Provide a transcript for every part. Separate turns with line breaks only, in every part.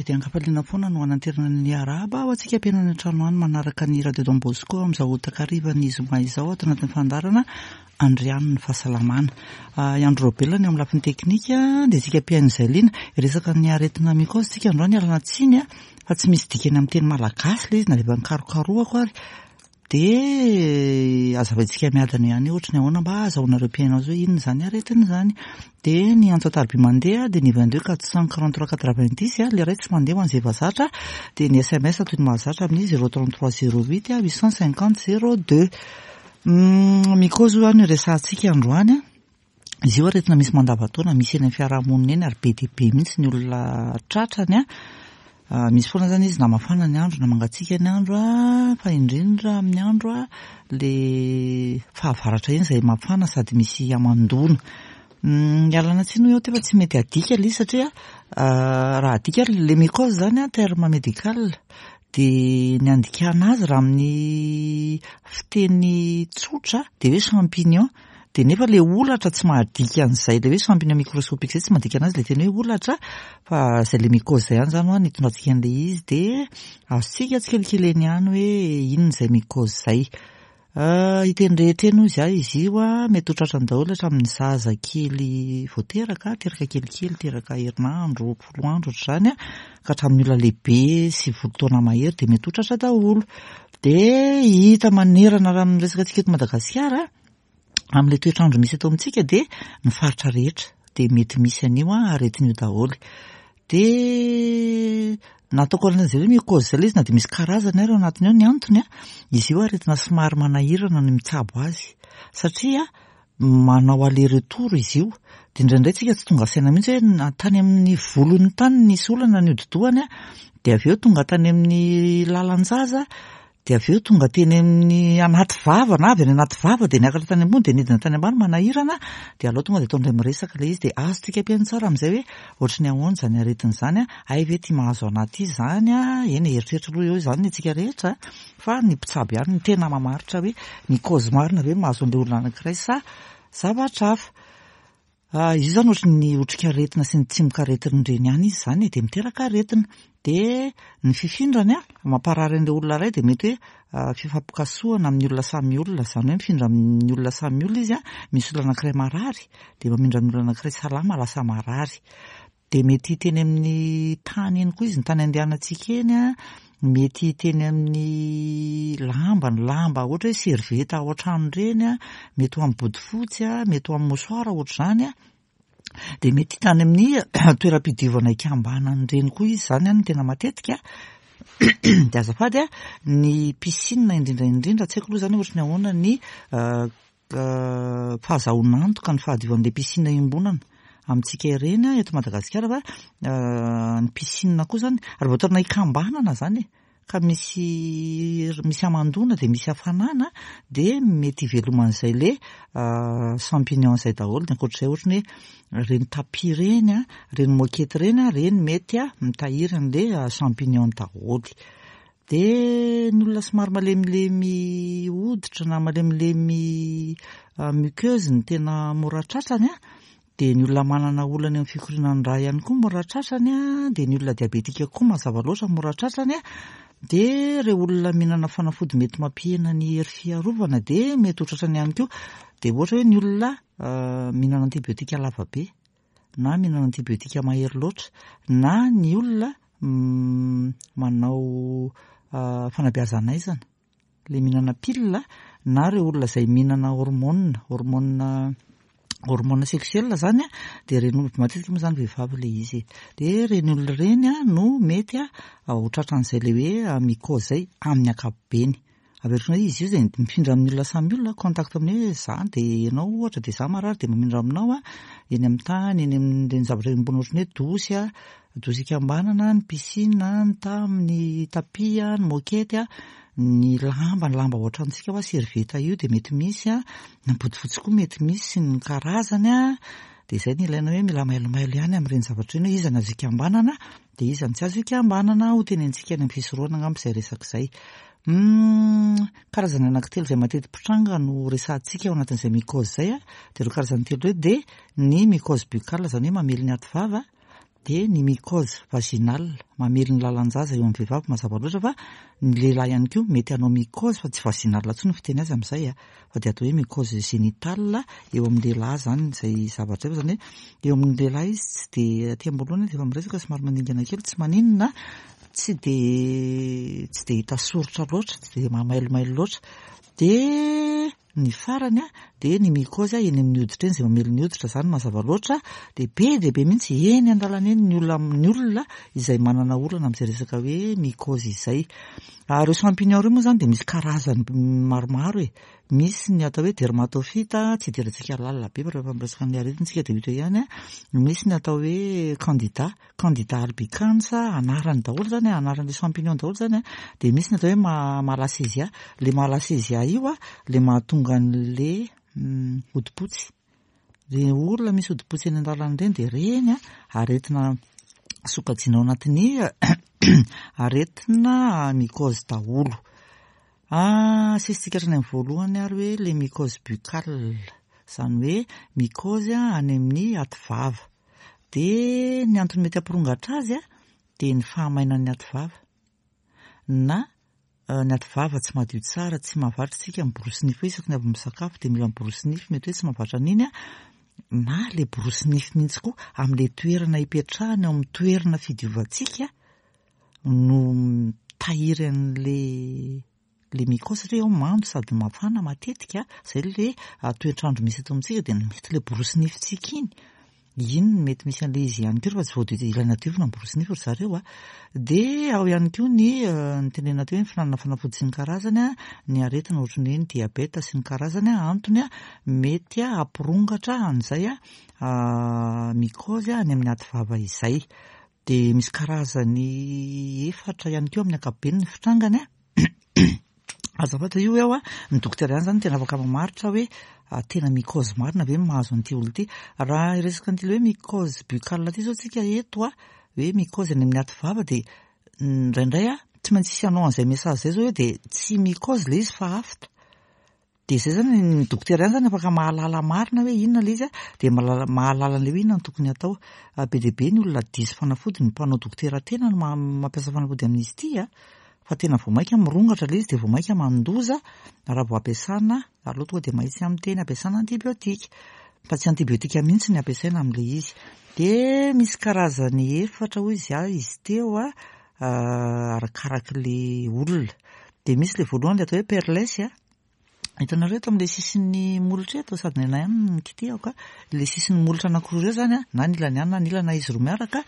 dia ankafaliana foana no hananterana ny arahaba ho antsika mpihaino any an-trano any manaraka ny Radio Don Bosco amin'izao takarivan'ny zoma izao ato anatin'ny fandaharana Andriano ny fahasalamana. I Andry Raobelina ny eo amin'ny lafiny teknika dia isika mpihaino izay liana. Hiresaka ny aretina mycose isika androany, ialana tsiny fa tsy misy dikany amin'ny teny malagasy ilay izy na dia efa nikarokarohako ary. Dia azavaintsika miadana ihany hoe ohatry ny ahoana mba ahazahoanareo mpihaino azy hoe inona izany aretina izany. Dia ny antso an-tariby mandeha dia ny 22 443 90, ilay iray tsy mandeha ho an'izay efa zatra, dia ny sms toy ny mahazatra amin'ny 033 08 850 02. Mycose hoy aho no iresahantsika androany. Izy io aretina misy mandavantaona, misy eny amin'ny fiarahamonina eny ary be dia be mihitsy ny olona tratrany. Misy foana izany izy na mafana ny andro na mangatsiaka ny andro fa indrindra amin'ny andro le fahavaratra iny izay mafana sady misy hamandoana. Ialana tsiny hoy aho teo fa tsy mety adika ilay izy satria raha adika ary le mycose izany terme médical dia ny andikana azy raha amin'ny fiteny tsotra dia hoe champignon. Dia nefa ilay holatra tsy mahadika an'izay ilay hoe champignon microscopique izay tsy mahadika an'azy ilay teny hoe holatra fa izay ilay mycose izay ihany izany hoa no itondrantsika an'ilay izy dia azontsika tsikelikely eny ihany hoe inona izay mycose izay. Hita eny rehetra eny hoy izaho izy io an, mety ho tratrany daholo hatramin'ny zaza kely vao teraka, teraka kelikely, teraka herinandro, folo andro ohatr'izany an, ka hatramin'ny olona lehibe 90 taona mahery dia mety ho tratra daholo. Dia hita manerana raha amin'ny resaka antsika eto Madagasikara amin'ilay toetr'andro misy eto amintsika dia ny faritra rehetra dia mety misy an'io aretina io daholo. Dia nataoko an'izay hoe mycose izay ilay izy na dia misy karazany ary ao anatiny ao ny antony an, izy io aretina somary manahirana ny mitsabo azy satria manao aller retour izy io. Dia indraindray tsika tsy tonga saina mihitsy hoe na tany amin'ny volony tany nisy olana ny hodi-dohany an, dia avy eo tonga tany amin'ny lalan-jaza, dia avy eo tonga teny amin'ny anaty vava na avy any anaty vava dia niakatra tany ambony dia nidina tany ambany manahirana dia aleo tonga dia atao indray miresaka ilay izy dia azontsika ampihaino tsara amin'izay hoe ohatry ny ahoana izany aretina izany an, hay ve ity mahazo anà ity izany an, eny e, eritreritra aloha eo izany ny antsika rehetra fa ny mpitsabo ihany no tena mamaritra hoe ny cause marina ve mahazo an'ilay olona anankiray sa zavatra hafa. Izy io izany ohatry ny otrikaretina sy ny tsimokaretina ireny ihany izy izany e, dia miteraka aretina. Dia ny fifindrany an, mamparary an'ilay olona iray dia mety hoe fifampikasohana amin'ny olona samy olona, izany hoe mifindra amin'ny olona samy olona izy an, misy olona anankiray marary dia mamindra amin'ny olona anankiray salama lasa marary. Dia mety hita eny amin'ny tany eny koa izy, ny tany andehanantsika eny an, mety hita eny amin'ny lamba, ny lamba ohatra hoe serviette ao an-trano ireny an, mety ho amin'ny bodofotsy an, mety ho amin'ny mouchoir ohatr'izany an, dia mety hita any amin'ny toeram-pidiovana ikambanana ireny koa izy izany an no tena matetika. Dia azafady an, ny piscine indrindra indrindra, tsy haiko aloha izany hoe ohatry ny ahoana ny fahazahoana antoka ny fahadiovan'ilay piscine iombonana amintsika ireny eto Madagasikara fa ny piscine koa izany raha vao toerana ikambanana izany e, ka misy misy hamandoana dia misy hafanana dia mety hiveloman'izay le champignon izay daholo. Ny ankoatr'izay ohatry ny hoe ireny tapis ireny, ireny moquette ireny, ireny mety mitahiry an'ilay champignon daholo. Dia ny olona somary malemilemy hoditra na malemilemy muqueuse no tena mora tratrany an, dia ny olona manana olana eo amin'ny fikorianan'ny rà ihany koa mora tratrany an, dia ny olona diabetika koa mazava loatra mora tratrany an, dia ireo olona mihinana fanafody mety mampihena ny hery fiarovana dia mety ho tratrany ihany koa, dia ohatra hoe ny olona mihinana antibiotika lava be. na mihinana antibiotika mahery loatra na ny olona manao fanabeazan'aizana, ilay mihinana pilina na ireo olona izay mihinana hormone, hormone hormone sexuel izany an, dia ireny matetika moa izany vehivavy ilay izy e, dia ireny olona ireny no mety ho tratran'izay ilay hoe mycose izay amin'ny ankapobeny. Averiko indray izy io izay mifindra amin'ny olona samy olona, contact amin'ny hoe za dia ianao ohatra dia za marary dia mamindra aminao an, eny amin'ny tany, eny amin'ireny zavatra iombonana ohatran'ny hoe dosy an, dosy ikambanana, ny piscine, ny tamy, ny tapis an, ny moquette an, ny lamba, ny lamba ao an-tranontsika hoa serviette io dia mety misy an, ny bodofotsy koa mety misy sy ny karazany an, dia izay no ilaina hoe mila mailomailo ihany amin'ireny zavatra ireny hoe iza no azo ikambanana dia iza no tsy azo ikambanana, ho tenenitsika any amin'ny fisorohana angamba izay resaka izay. Humm, karazana anankitelo izay mateti-pitranga no resahantsika ao anatin'izay mycose izay a, dia ireo karazany telo ireo dia ny mycose buccale izany hoe mamely ny aty vava, Dia ny mycose vaginale, mamely ny lalan-jaza eo amin'ny vehivavy mazava loatra fa ny lehilahy ihany koa mety hanao mycose fa tsy vaginale intsony ny fiteny azy amin'izay a, fa dia atao hoe mycose génitale eo amin'ny lehilahy izany izay zavatra izay fa izany hoe eo amin'ny lehilahy izy tsy dia aty am-boalohany dia efa miresaka somary maningana kely tsy maninona tsy dia tsy dia hita soritra loatra, tsy dia mahamailomailo loatra. Dia Ny farany dia ny mycose eny amin'ny hoditra eny izay mamely ny hoditra izany mazava loatra dia be dia be mihitsy eny an-dalana eny ny olona ny olona izay manana olana amin'izay resaka hoe mycose izay. Ary ireo champignon ireo moa izany dia misy karazany maromaro e. Misy ny atao hoe dermatophyte, tsy idirantsika lalina be fa rehefa miresaka an'ilay aretina isika dia ho hita eo ihany. Misy ny atao hoe candida. Candida albicans, anarany daholo zany, anaran'le champignon daholo zany, dia misy ny atao hoe malassezia, le malassezia io a, le mahatonga an'le hodi-potsy, le olona misy hodi-potsy eny an-dalana ireny dia ireny a aretina sokajiana ao anatin'ny aretina mycose daholo. Asesitsika hatrany amin'ny voalohany ary hoe le mycose buccale, izany hoe mycose any amin'ny ativava. Dia ny antony mety hampirongatra azy dia ny fahamainan'ny ativava na ny ativava tsy madio tsara, tsy mahavatra isika miborosy nify hoe isaky ny avy misakafo dia mila miborosy nify, mety hoe tsy mahavatra an'iny na ilay borosy nify mihitsy koa amin'ilay toerana ipetrahany ao amin'ny toerana fidiovantsika no mitahiry an'ilay le mycose satria ao mando sady mafana matetika, zay le toetr'andro misy eto amintsika dia mety le borosy nifintsika iny, iny no mety misy an'le izy ihany koa rehefa tsy voadio ilaina diovina ny borosy nify ry zareo a. Dia ao ihany koa ny nitenenana teo hoe ny fihinanana fanafody sy ny karazany a, ny aretina ohatry ny hoe ny diabeta sy ny karazany a, antony a mety hampirongatra an'izay mycose any amin'ny aty vava izay. Dia misy karazany efatra ihany koa amin'ny ankapobeny ny fitrangany a. Azafady io aho a, ny dokotera ihany izany no tena afaka mamaritra hoe tena mycose marina ve no mahazo an'ity olona ity. Raha hiresaka an'ity ilay hoe mycose buccale ity izao tsika eto a, hoe mycose any amin'ny aty vava dia indraindray a, tsy maintsy hisy hanao an'izay message izay izao hoe dia tsy mycose ilay izy fa afta. Dia izay izany, ny dokotera ihany izany afaka mahalala marina hoe inona ilay izy a, dia mahalala mahalala an'ilay hoe inona no tokony hatao. Be dia be ny olona diso fanafody, ny mpanao dokotera tena no mampiasa fanafody amin'izy ity a, fa tena vao mainka mirongatra ilay izy dia vao mainka mandoza raha vao ampiasana, aleo tonga dia mahitsy amin'ny teny, ampiasana antibiotika. Fa tsy antibiotika mihitsy ny ampiasaina amin'ilay izy. Dia misy karazany efatra hoy izy ahy izy teo a, arakarak'ilay olona. Dia misy ilay voalohany ilay atao hoe perles a. Hitanareo eto amin'ilay sisin'ny molotra eto, sady ny anay ihany no nikitihako a, ilay sisin'ny molotra anankiroa ireo izany a, na ny ilany ihany na ny ilany na izy roa miaraka,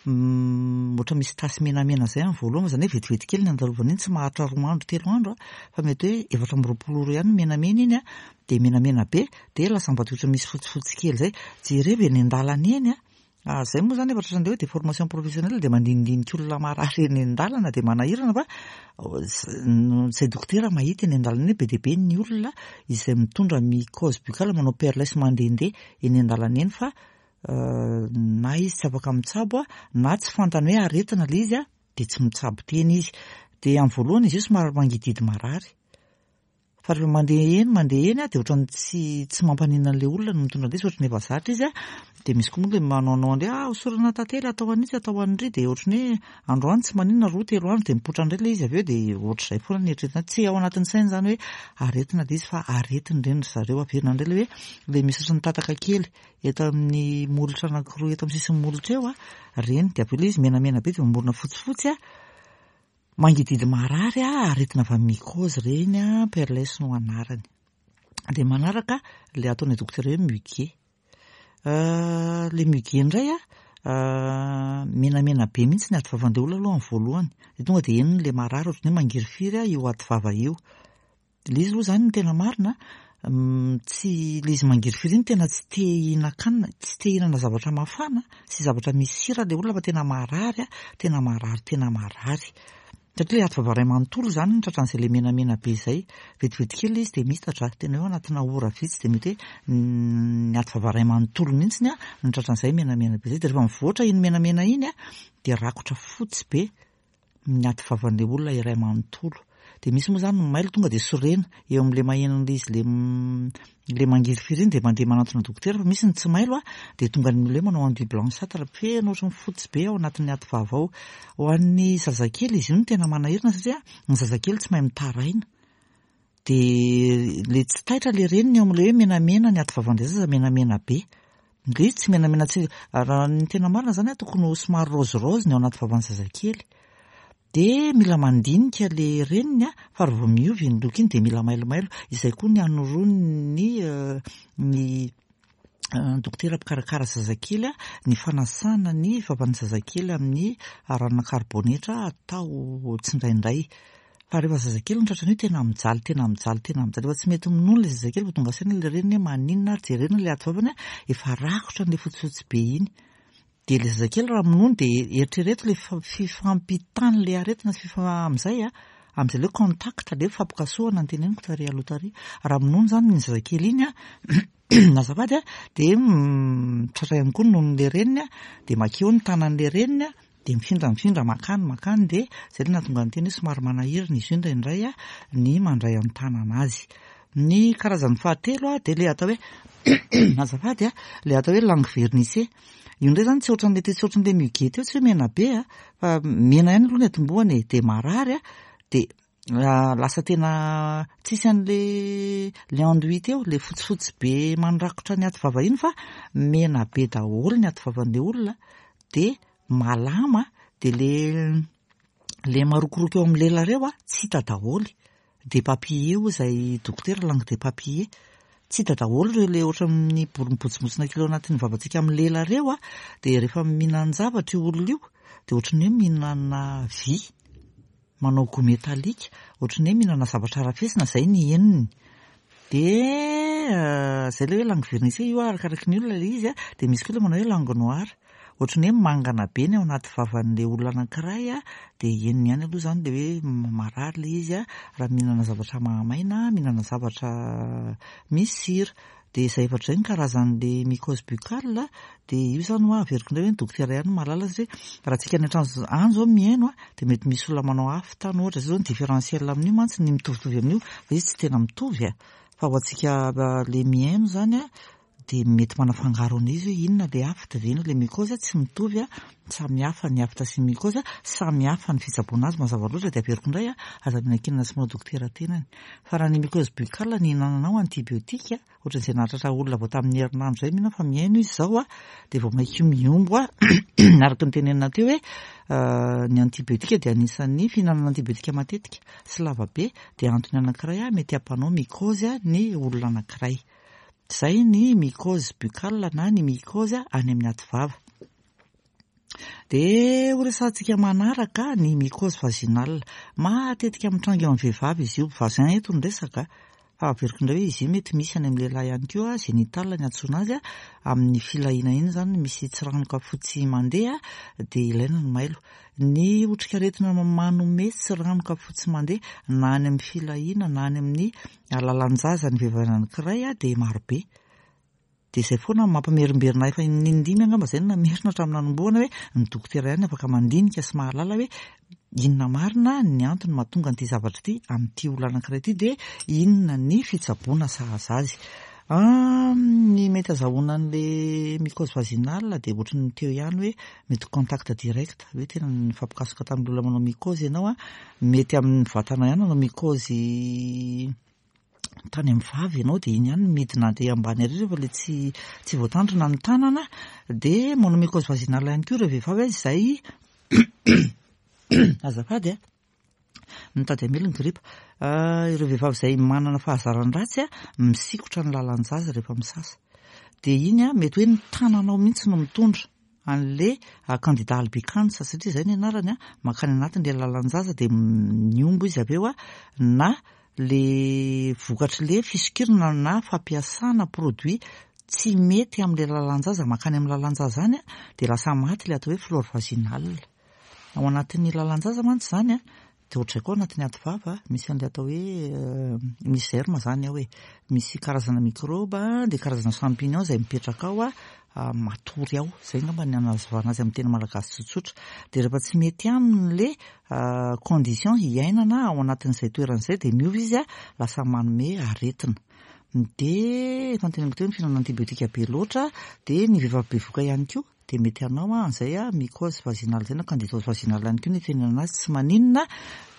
ohatra misy tasy menamena izay amin'ny voalohany, izany hoe vetivety kely ny andalovana iny, tsy maharitra roa andro telo andro a, fa mety hoe 24 ora ihany menamena iny a, dia menamena be, dia lasa mivadika ohatra misy fotsifotsy kely izay. Jereo eny an-dalana eny a, Ah, zay moa zany efa tratran'ilay hoe déformation professionnelle dia mandinidinika olona marary eny an-dalana dia manahirana fa izay dokotera mahita eny an-dalana eny be dia be ny olona izay mitondra mycose buccale manao perles mandehandeha eny an-dalana eny fa na izy tsy afaka mitsabo na tsy fantany hoe aretina ilay izy dia tsy mitsabo tena izy. Dia amin'ny voalohany izy io somary mangidihidy marary. Fa rehefa mandeha eny mandeha eny dia ohatran'ny tsy tsy mampaninona an'ilay olona no mitondra an'ilay izy ohatran'ny efa zatra izy dia misy koa moa ilay manaonao an'ilay ah hosorana tantely atao an'itsy atao an'iry dia ohatran'ny hoe androany tsy maninona roa telo andro dia mipoitra indray ilay izy avy eo dia ohatr'izay foana ny eritreretina tsy ao anatin'ny saina izany hoe aretina ilay izy fa aretina ireny ry zareo averina indray ilay hoe ilay misy ohatran'ny tataka kely eto amin'ny molotra anankiroa eto amin'ny sisin'ny molotra eo ireny dia avy eo ilay izy menamena be dia mamorona fotsifotsy Mangidihidy marary a, aretina avy amin'ny mycose ireny a, perles no anarany. Dia manaraka ilay ataon'ny dokotera hoe muguet. Ilay muguet indray a, menamena be mihitsy ny ati-vavan'ilay olona aloha amin'ny voalohany. Dia tonga dia henony ilay marary ohatran'ny hoe mangirifiry io ati-vava io. Ilay izy aloha izany ny tena marina, tsy ilay izy mangirifiry iny tena tsy te hihinan-kanina, tsy te hihinana zavatra mafana sy zavatra misy sira ilay olona fa tena marary, tena marary, tena marary. Satria ilay ativava iray manontolo izany no tratran'izay ilay menamena be izay. Vetivety kely ilay izy dia miitatra, tena hoe ao anatina ora vitsy dia mety hoe ny ativava iray manontolo mihitsy no tratran'izay menamena be izay. Dia rehefa mivoatra iny menamena iny dia rakotra fotsy be ny aty vavan'ilay olona iray manontolo. Dia misy moa izany ny mailo tonga dia sorena eo amin'ilay maheno an'ilay izy ilay ilay mangirifiry iny dia mandeha manantona dokotera fa misy ny tsy mailo dia tonga ny olona hoe manao enduit blanchâtre feno ohatran'ny fotsy be ao anatin'ny aty vava ao. Ho an'ny zazakely izy io no tena manahirana satria ny zazakely tsy mahay mitaraina. Dia ilay tsy taitra ilay reniny eo amin'ilay hoe menamena ny aty vavan'ilay zaza menamena be. Ilay izy tsy menamena tsy raha ny tena marina izany tokony ho somary rose rose ny ao anaty vavan'ny zazakely. Dia mila mandinika ilay reniny fa raha vao miova iny loko iny dia mila mailomailo. Izay koa ny anoroan'ny ny dokotera mpikarakara zazakely ny fanasana ny vavan'ny zazakely amin'ny ranona karibonetra atao tsindraindray. Fa rehefa zazakely no tratran'io tena mijaly, tena mijaly, tena mijaly. Efa tsy mety minono ilay zazakely vao tonga saina ilay reniny hoe maninona ary jerena ilay aty vavany efa rakotra an'ilay fotsifotsy be iny. Dia ilay zazakely raha minono dia eritrereto ilay fifampitan'ilay aretina sy amin'izay amin'izay ilay hoe contact, ilay hoe fampikasohana no teneniko tary aloha tary. Raha minono izany iny zazakely iny azafady dia tratra ihany koa ny nonon'ilay reniny dia makeo ny tanan'ilay reniny dia mifindra mifindra makany makany dia izay no nahatonga ny teny hoe somary manahirana izy io indraindray ny mandray an-tanana azy. Ny karazany fahatelo dia ilay atao hoe azafady ilay atao hoe langue vernissée. Io indray izany tsy ohatran'ilay teo, tsy ohatran'ilay muguet teo, tsy hoe mena be fa mena ihany aloha ny atombohany e, dia marary dia lasa tena tsisy an'le le enduit teo, le fotsifotsy be mandrakotra ny aty vava iny fa mena be daholo ny aty vavan'le olona dia malama dia le le marokoroko eo amin'ny lela reo tsy hita daholo, des papillers hoy izay dokotera langue des papillers, tsy hita daholo ireo le ohatran'ny mibotsibotsina kely ao anatin'ny vavantsika amin'ny lela reo dia rehefa mihinan-javatra io olona io dia ohatran'ny hoe mihinana vy. Manao goût métallique, ohatran'ny hoe mihinana zavatra arafesina, izay ny henony. Dia izay ilay hoe langue vernissée, io arakaraky ny olona ilay izy an, dia misy koa ilay manao hoe langue noire. Ohatran'ny hoe mangana be ny ao anaty vavan'ilay olona anankiray an, dia henony ihany aloha izany ilay hoe marary ilay izy an, raha mihinana zavatra mahamaina, mihinana zavatra misy sira. Dia izay efatra izay ny karazan'ilay mycose buccale, dia io izany hoa averiko indray hoe ny dokotera ihany no mahalala satria raha tsika any an-trano any izao mihaino dia mety misy olona manao aphte any ohatra, izay izao ny différentiel amin'io mantsy ny mitovitovy amin'io fa izy tsy tena mitovy a, fa ho antsika ilay mihaino izany a dia mety manafangaro an'izy hoe inona ilay aphte dia inona ilay mycose, tsy mitovy a, samy hafa ny aphte sy ny mycose, samy hafa ny fitsaboana azy mazava loatra dia averiko indray a, aza mianakinana sy manao dokotera tenany. Fa raha ny mycose buccale ny ihinananao antibiotique, ohatran'izay nahatratra olona vao tamin'ny herinandro izay mino aho fa mihaino izy izao a, dia vao mainka io mihombo a, araka ny tenenina teo hoe ny antibiotique dia anisan'ny fihinanana antibiotique matetika sy lava be dia antony anankiray a mety hampanao mycose ny olona anankiray. Izay ny mycose buccale na ny mycose any amin'ny aty vava. Dia ho resahantsika manaraka ny mycose vaginale. Matetika mitranga eo amin'ny vehivavy izy io. Vagin eto no resaka fa averiko indray hoe izy io mety misy any amin'ny lehilahy ihany koa, génital ny antsoina azy, amin'ny filahiana iny izany misy tsiranoka fotsy mandeha dia ilaina ny mailo. Ny otrikaretina manome tsiranoka fotsy mandeha na any amin'ny filahiana na any amin'ny alalan-jaza ny vehivavy anankiray dia marobe. Dia izay foana no mampimerimberina ahy efa inindimy angamba izay no namerina hatramin'ny nanombohana hoe ny dokotera ihany afaka mandinika sy mahalala hoe inona marina ny antony mahatonga an'ity zavatra ity amin'ity olona anankiray ity dia inona ny fitsaboana sahaza azy. Ny mety azahoana an'ilay mycose vaginale dia ohatry ny teo ihany hoe mety contact direct hoe tena nifampikasoka tamin'ny olona manao mycose ianao an, mety amin'ny vatana ihany nanao mycose tany amin'ny vava ianao dia iny ihany no midina aty ambany ary rehefa ilay tsy tsy voatandrina ny tanana dia manao mycose vaginale ihany koa ireo vehivavy izay azafady a mitady hamely ny gripa ireo vehivavy izay manana fahazaran-dratsy a misikotra ny lalan-jaza rehefa misasa dia iny a mety hoe ny tananao mihitsy no mitondra an'le candida albicans satria izay ny anarany a, mankany anatin'le lalan-jaza dia mihombo izy avy eo a, na le vokatr'le fisokirana na fampiasana produit tsy mety amin'le lalan-jaza mankany amin'ny lalan-jaza any a, dia lasa maty le atao hoe flore vaginale. Ao anatin'ny lalan-jaza mantsy izany a, Dia ohatr'izay koa anatin'ny ady vava, misy an'ilay atao hoe misy germe izany ao e. Misy karazana mikrôba, dia karazana champignon izay mipetraka ao matory ao. Izay angamba ny hanazavana azy amin'ny teny malagasy tsotsotra. Dia rehefa tsy mety aminy le condition hiainana ao anatin'izay toerana izay dia miova izy lasa manome aretina. Dia efa noteneniko teo ny fihinanana antibiotika be loatra, dia ny vehivavy bevohoka ihany koa dia mety hanao an'izay mycose vaginale izay na candidose vaginale ihany koa ny itenenana azy, tsy maninona.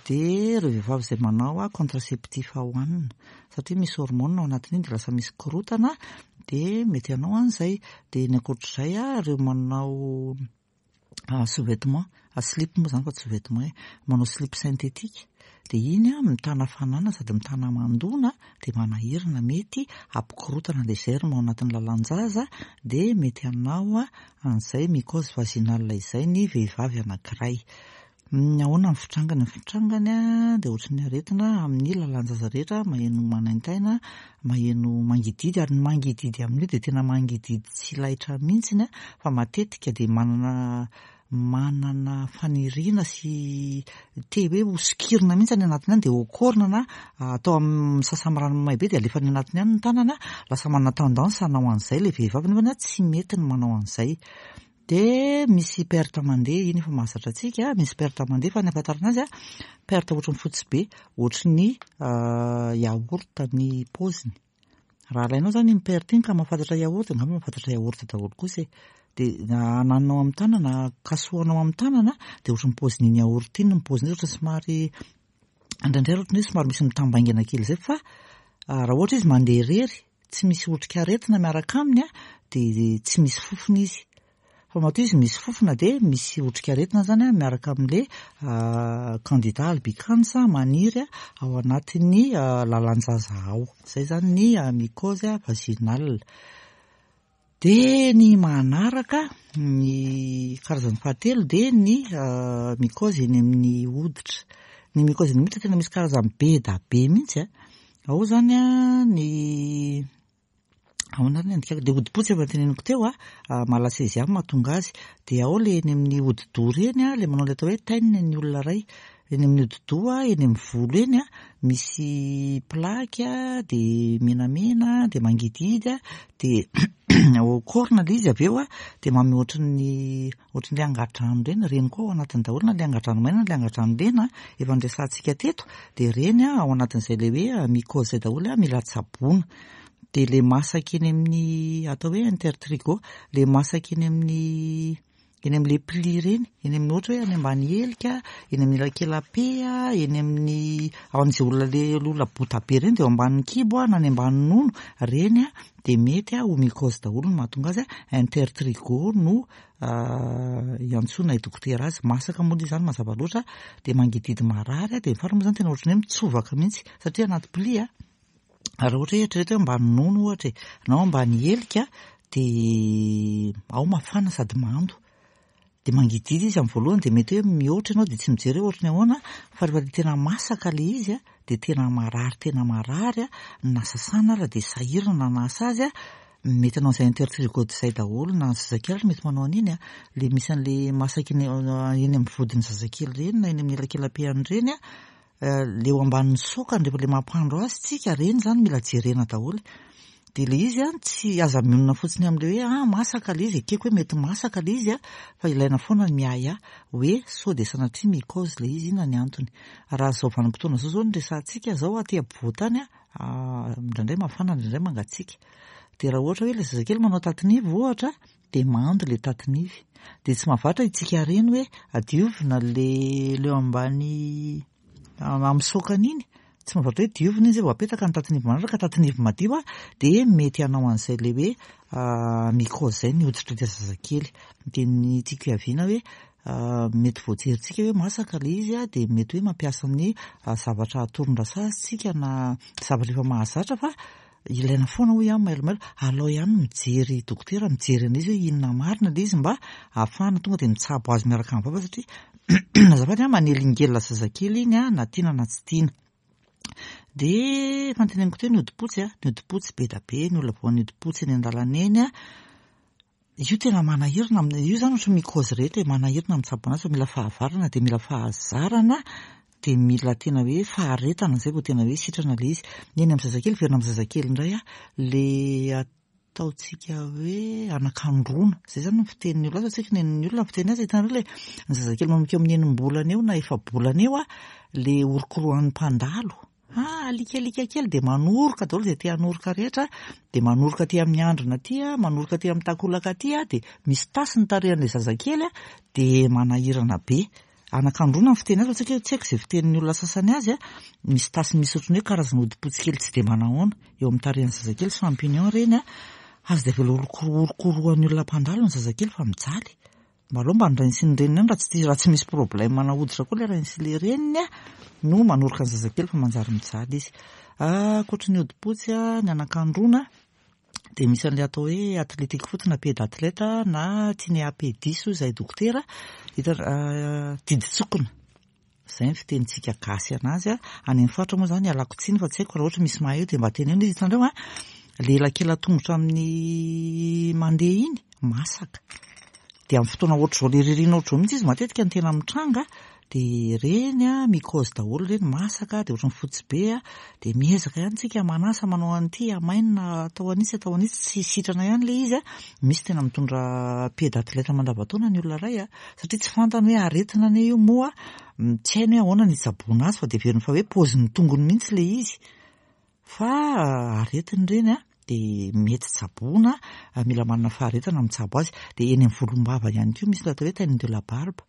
Dia ireo vehivavy izay manao contraceptif hohanina satria misy hormone ao anatin'iny dia lasa misy korontana dia mety hanao an'izay. Dia ny ankoatr'izay ireo manao sous-vêtement, slip moa izany fa tsy sous-vêtement e, manao slip synthétique dia iny mitana hafanana sady mitana hamandoana dia manahirana, mety hampikorontana ilay germe ao anatin'ny lalan-jaza dia mety hanao an'izay mycose vaginale izay ny vehivavy anankiray. Ahoana ny fitrangany? Ny fitrangany dia ohatran'ny aretina amin'ny lalan-jaza rehetra, maheno manaintaina, maheno mangididy, ary ny mangididy amin'io dia tena mangididy tsy laitra mihitsy fa matetika dia manana manana faniriana sy te hoe ho sokirina mihitsy any anatiny any dia hokorina na atao amin'ny misasa amin'ny rano mamay be dia alefa any anatiny any ny tanana, lasa manana tendance hanao an'izay ilay vehivavy nefa tsy mety ny manao an'izay. Dia misy perte mandeha, iny efa mahazatra antsika, misy perte mandeha fa ny ahafantarana azy, perte ohatran'ny fotsy be, ohatry ny yaourt ny paoziny. Raha alainao izany iny perte iny ka mahafantatra yaourt, angamba mahafantatra yaourt daholo kosa e. Dia ananinao amin'ny tanana, kasohanao amin'ny tanana, dia ohatran'ny paozin'iny yaourt iny ny paoziny, ohatran'ny somary, indraindray ohatran'ny hoe somary misy mitambaingana kely izay fa raha ohatra izy mandeha irery, tsy misy otrikaretina miaraka aminy dia tsy misy fofona izy. Fa matoa izy misy fofona dia misy otrikaretina izany miaraka amin'ilay Candida albicans maniry ao anatin'ny lalan-jaza ao. Izay izany ny mycose vaginale. Dia ny manaraka, ny karazany fahatelo dia ny mycose eny amin'ny hoditra. Ny mycose eny amin'ny hoditra tena misy karazany be da be mihitsy. Ao izany ny ahoana ary ny andikako? Dia hodi-potsy efa noteneniko teo, malassezia no mahatonga azy. Dia ao ilay eny amin'ny hodi-doha ireny, ilay manao ilay atao hoe teint ny olona iray. Eny amin'ny hodi-doha, eny amin'ny volo eny, misy plaque dia menamena dia mangidihidy dia corne ilay izy avy eo dia manome ohatran'ny ohatran'ilay angadrano ireny, ireny koa ao anatiny daholo na ilay angadrano maina na ilay angadrano lena efa noresahantsika teto dia ireny ao anatin'izay ilay hoe mycose izay daholo mila tsaboina. Dia ilay masaka eny amin'ny atao hoe intertrigo, ilay masaka eny amin'ny eny amin'ilay pli ireny, eny amin'ny ohatra hoe any ambany helika, eny amin'ny elakela-pe, eny amin'ny ao amin'izay olona le olona bota be ireny dia eo ambanin'ny kibo na any ambany nono, ireny dia mety ho mycose daholo no mahatonga azy, intertrigo no iantsoana i dokotera azy, masaka moa ilay izany mazava loatra, dia mangidihidy marary, dia ny farany moa izany tena ohatran'ny hoe mitsovaka mihitsy satria anaty pli. Raha ohatra hoe eritrereto hoe ambany nono ohatra e, na ambany helika dia ao mafana sady mando. Dia mangidihidy izy amin'ny voalohany dia mety hoe mihoatra ianao dia tsy mijery hoe ohatry ny ahoana fa rehefa ilay tena masaka ilay izy a, dia tena marary tena marary a, na sasana ary dia sahirana hanasa azy a, mety hanao an'izay intertrigo izay daholo na ny zazakely ary mety manao an'iny a, ilay misy an'ilay masaka eny eny amin'ny vodin'ny zazakely ireny na eny amin'ny elakela-pehany ireny a, Le eo ambanin'ny sokany rehefa le mampandro azy tsika reny zany mila jerena daholo. De le izy an tsy aza mionona fotsiny amle hoe ah masaka le izy ekeko hoe mety masaka le izy an fa ilaina foana ny miahiahy hoe sao de sanatria mycose le izy inona ny antony. Raha zao vanim-potoana zao zao no resahantsika zao aty ampovoantany an indraindray mafana indraindray mangatsiaka. De raha ohatra hoe le zazakely manao tatin'ivy ohatra dia mando le tatin'ivy. Dia tsy mahavatra itsika reny hoe adiovina le le eo ambany amin'ny saokany iny. Tsy mahavatra hoe diovina izy vao apetaka ny tatin'ivy manaraka, tatin'ivy madio dia mety hanao an'izay le hoe mycose izay ny hoditr'ilay zazakely. Dia ny tiako hiaviana hoe mety voajerintsika hoe masaka le izy dia mety hoe mampiasa ny zavatra atoron-drasazy tsika na zavatra efa mahazatra fa Ilaina foana hoy aho mailomailo, alao ihany mijery dokotera mijery an'izy hoe inona marina ilay izy mba ahafahana tonga dia mitsabo azy miaraka amin'ny vava satria azafady an, manelingelina zazakely iny an, na tiana na tsy tiana. Dia efa noteneniko teo ny hodi-potsy an, ny hodi-potsy be dia be ny olona voan'ny hodi-potsy eny an-dalana eny an, Io tena manahirana amin'ny, io zany ohatran'ny mycose rehetra e, manahirana mitsabo anazy fa mila fahavarana dia mila fahazarana dia mila tena hoe faharetana zay vao tena hoe sitrana le izy. Ny eny amin'ny zazakely, miverina amin'ny zazakely indray aho, le. Ataontsika hoe anakandroana. Izay izany ny fitenin'ny olona azy, fa tsy haiko ny an'ny olona ny fiteny azy. Hitanareo ilay ny zazakely manomboka eo amin'ny enim-bolana eo na efa-bolana eo, ilay orokorohan'ny mpandalo. Ah, alika alika kely dia manoroka daholo izay te hanoroka rehetra, dia manoroka aty amin'ny handrina aty, manoroka aty amin'ny takolaka aty, dia misy tasy ny tarehin'ilay zazakely, dia manahirana be. Anakandroana ny fiteny azy fa tsy haiko tsy haiko izay fitenin'ny olona sasany azy a, misy tasy misy ohatran'ny hoe karazana hodi-potsy kely tsy dia manahoana eo amin'ny tarehin'ny zazakely, champignon ireny a, aza dia avela orokorohan'ny olona mpandalo ny zazakely fa mijaly. Mba aleo mba ny rainy sy ny reniny ihany raha tsy raha tsy misy problème ana hoditra koa ilay rainy sy ilay reniny a no manoroka ny zazakely fa manjary mijaly izy. Ankoatry ny hodi-potsy a, ny anakandroana dia misy an'ilay atao hoe athletic foot na pied d'athlète na tinea pedis hoy izahay dokotera, hita didin-tsokina. Izay ny fitenintsika gasy anazy a. Any amin'ny faritra moa izany ialako tsiny fa tsy haiko raha ohatra misy mahay eo dia mba teneno izy. Hitanareo a, le elakela-tongotra amin'ny mandeha iny, masaka. Dia amin'ny fotoana ohatr'izao le ririnina ohatr'izao mihitsy izy matetika no tena mitranga, dia ireny a, mycose daholo ireny, masaka dia ohatran'ny fotsy be a, dia miezaka ihany tsika manasa manao an'ity, amainina atao an'itsy atao an'itsy, tsy sitrana ihany ilay izy a. Misy tena mitondra pied d'athlète mandavantaona ny olona iray a, satria tsy fantany hoe aretina anie io moa tsy hainy hoe ahoana ny hitsaboana azy fa dia heveriny fa hoe paozin'ny tongony mihitsy ilay izy. Fa aretina ireny a, dia mety tsaboina, mila manana faharetana mitsabo azy. Dia eny amin'ny volombava ihany koa misy ilay atao hoe teint de la barbe.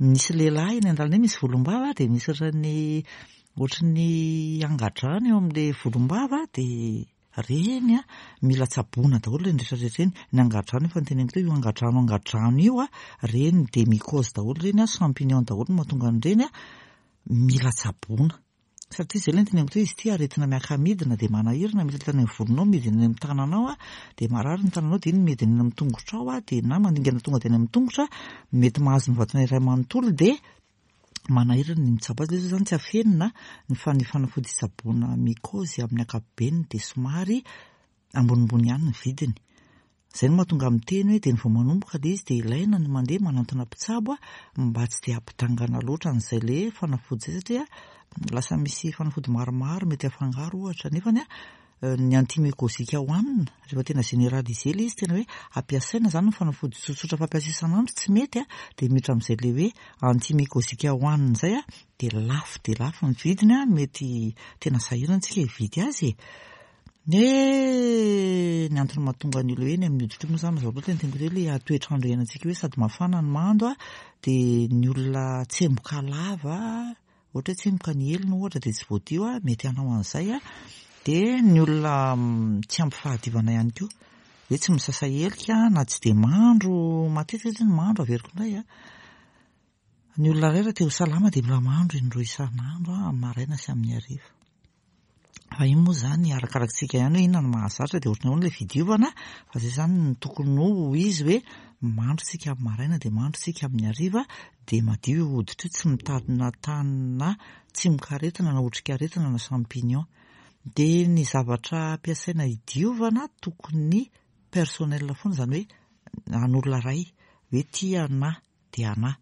Misy lehilahy eny an-dalana eny misy volombava dia misy ohatran'ny ohatran'ny angadrano eo amin'ilay volombava dia Reny a, mila tsaboina daholo ireny rehetra rehetra ireny, ny angadrano efa noteneniko teo, io angadrano angadrano io a, reny dia mycose daholo ireny a, champignon daholo no mahatonga an'ireny a, mila tsaboina. Satria izay ilay noteneniko teo, izy ity aretina miaka-midina dia manahirana, mety any amin'ny volonao, midina any amin'ny tananao a, dia marary ny tananao, dia iny midina eny amin'ny tongotrao a, dia na mandingana tonga dia any amin'ny tongotra, mety mahazo ny vatana iray manontolo dia manahirana ny mitsabo azy, ilay izy izany tsy afenina ny fa ny fanafody hitsaboana mycose amin'ny ankapobeny dia somary ambonimbony ihany ny vidiny. Izay no mahatonga miteny hoe dia ny vao manomboka ilay izy dia ilaina ny mandeha manantona mpitsabo mba tsy dia hampidangana loatra an'izay ilay fanafody izay satria lasa misy fanafody maromaro mety hafangaro ohatra nefany ny antimycosique hohanina, rehefa tena généralisé ilay izy, tena hoe ampiasaina izany ny fanafody tsotsotra fampiasa isan'andro tsy mety a, dia miditra amin'izay ilay hoe antimycosique hohanina izay a, dia lafo dia lafo ny vidiny a, mety tena sahirana isika hividy azy e. Ny ny antony mahatonga ny olona hoe eny amin'ny hoditra io moa izany mazava loatra ny teniko hoe ilay toetr'andro iainantsika hoe sady mafana no mando a, dia ny olona tsemboka lava Ohatra hoe tsimoka ny helony ohatra dia tsy voadio a, mety hanao an'izay a. Dia ny olona tsy ampy fahadiovana ihany koa, hoe tsy misasa helika na tsy dia mandro matetika satria ny mandro averiko indray a. Ny olona iray raha te ho salama dia mila mandro indroa isan'andro amin'ny maraina sy amin'ny hariva. Fa io moa izany arakarakitsika ihany hoe inona no mahazatra dia ohatran'ny ahoana ilay fidiovana fa izay izany no tokony ho izy hoe mandro tsika amin'ny maraina dia mandro tsika amin'ny hariva dia madio io hoditra io tsy mitadina tany na tsimokaretina na otrikaretina na champignon. Dia ny zavatra ampiasaina hidiovana tokony personnel foana izany hoe an'olona iray hoe ity anà dia anà.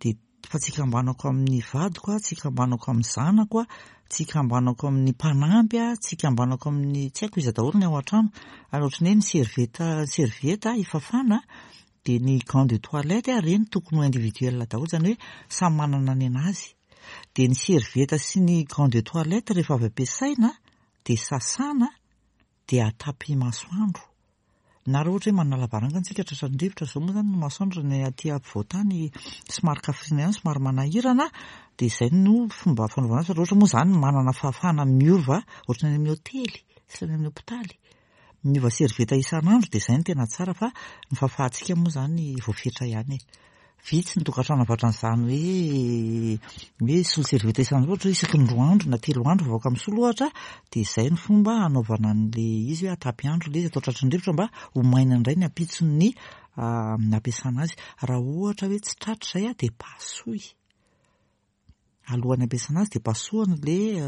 Dia fa tsy ikambanako amin'ny vadiko aho, tsy ikambanako amin'ny zanako aho, tsy ikambanako amin'ny mpanampy aho, tsy ikambanako amin'ny tsy haiko iza daholo ny ao an-trano. Ary ohatran'ny hoe ny serviette serviette ifafana dia ny gants de toilette ireny tokony ho individuel daholo, izany hoe samy manana ny an'azy. Dia ny serviette sy ny gants de toilette rehefa avy ampiasaina dia sasana dia atapy masoandro. Na raha ohatra hoe manana lavarangana isika tratran'ny rivotra, izao moa izany ny masoandro ny aty ampovoan-tany somary kafrina ihany, somary manahirana, dia izay no fomba fanaovana azy fa raha ohatra moa izany manana fahafahana miova ohatran'ny any amin'ny hotely sy any amin'ny hopitaly, miova servieta isan'andro dia izay no tena tsara fa ny fahafahantsika moa izany voafetra ihany e. Vitsy ny tokantrano ankoatran'izany hoe hoe hisolo serviette isan'andro ohatra hoe isaky ny roa andro na telo andro vao afaka misolo ohatra dia izay ny fomba hanaovana an'ilay izy hoe atapy andro ilay izy atao tratry ny rivotra mba ho maina indray ny ampitson'ny nampiasana azy. Raha ohatra hoe tsy tratra izay dia pasoy. Alohan'ny ampiasana azy dia pasohana ilay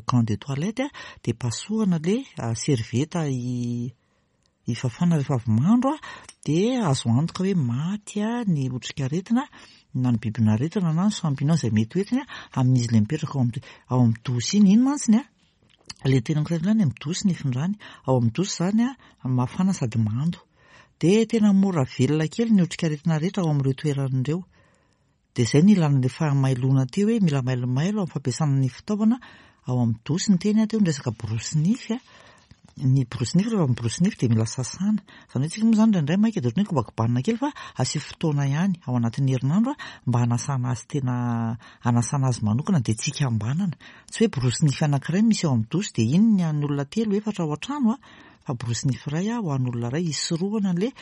gant de toilette dia pasohana ilay serviette hifafana rehefa avy mandro dia azo antoka hoe maty ny otrikaretina na ny bibin'aretina na ny champignon izay mety ho entiny amin'izy ilay mipetraka ao amin'ny ao amin'ny douche iny. Iny mantsy ny. Ilay teneniko teo ihany, amin'ny dosy ny ifindrany. Ao amin'ny dosy izany mafana sady mando. Dia tena mora velona kely ny otrikaretina rehetra ao amin'ireo toerana ireo. Dia izay no ilana ilay fahamailoana teo hoe mila mailomailo amin'ny fampiasana ny fitaovana ao amin'ny dosy. Niteny aho teo ny resaka borosy nify. Ny borosy nify rehefa miborosy nify dia mila sasana. Izany hoe tsika moa izany indraindray maika dia ohatran'ny hoe kobakobanina kely fa asio fotoana ihany ao anatin'ny herinandro mba hanasana azy tena hanasana azy manokana dia tsy hikambanana. Tsy hoe borosy nify anankiray misy ao amin'ny dosy dia iny ny an'ny olona telo efatra ao an-trano fa borosy nify iray ho an'olona iray hisorohana an'ilay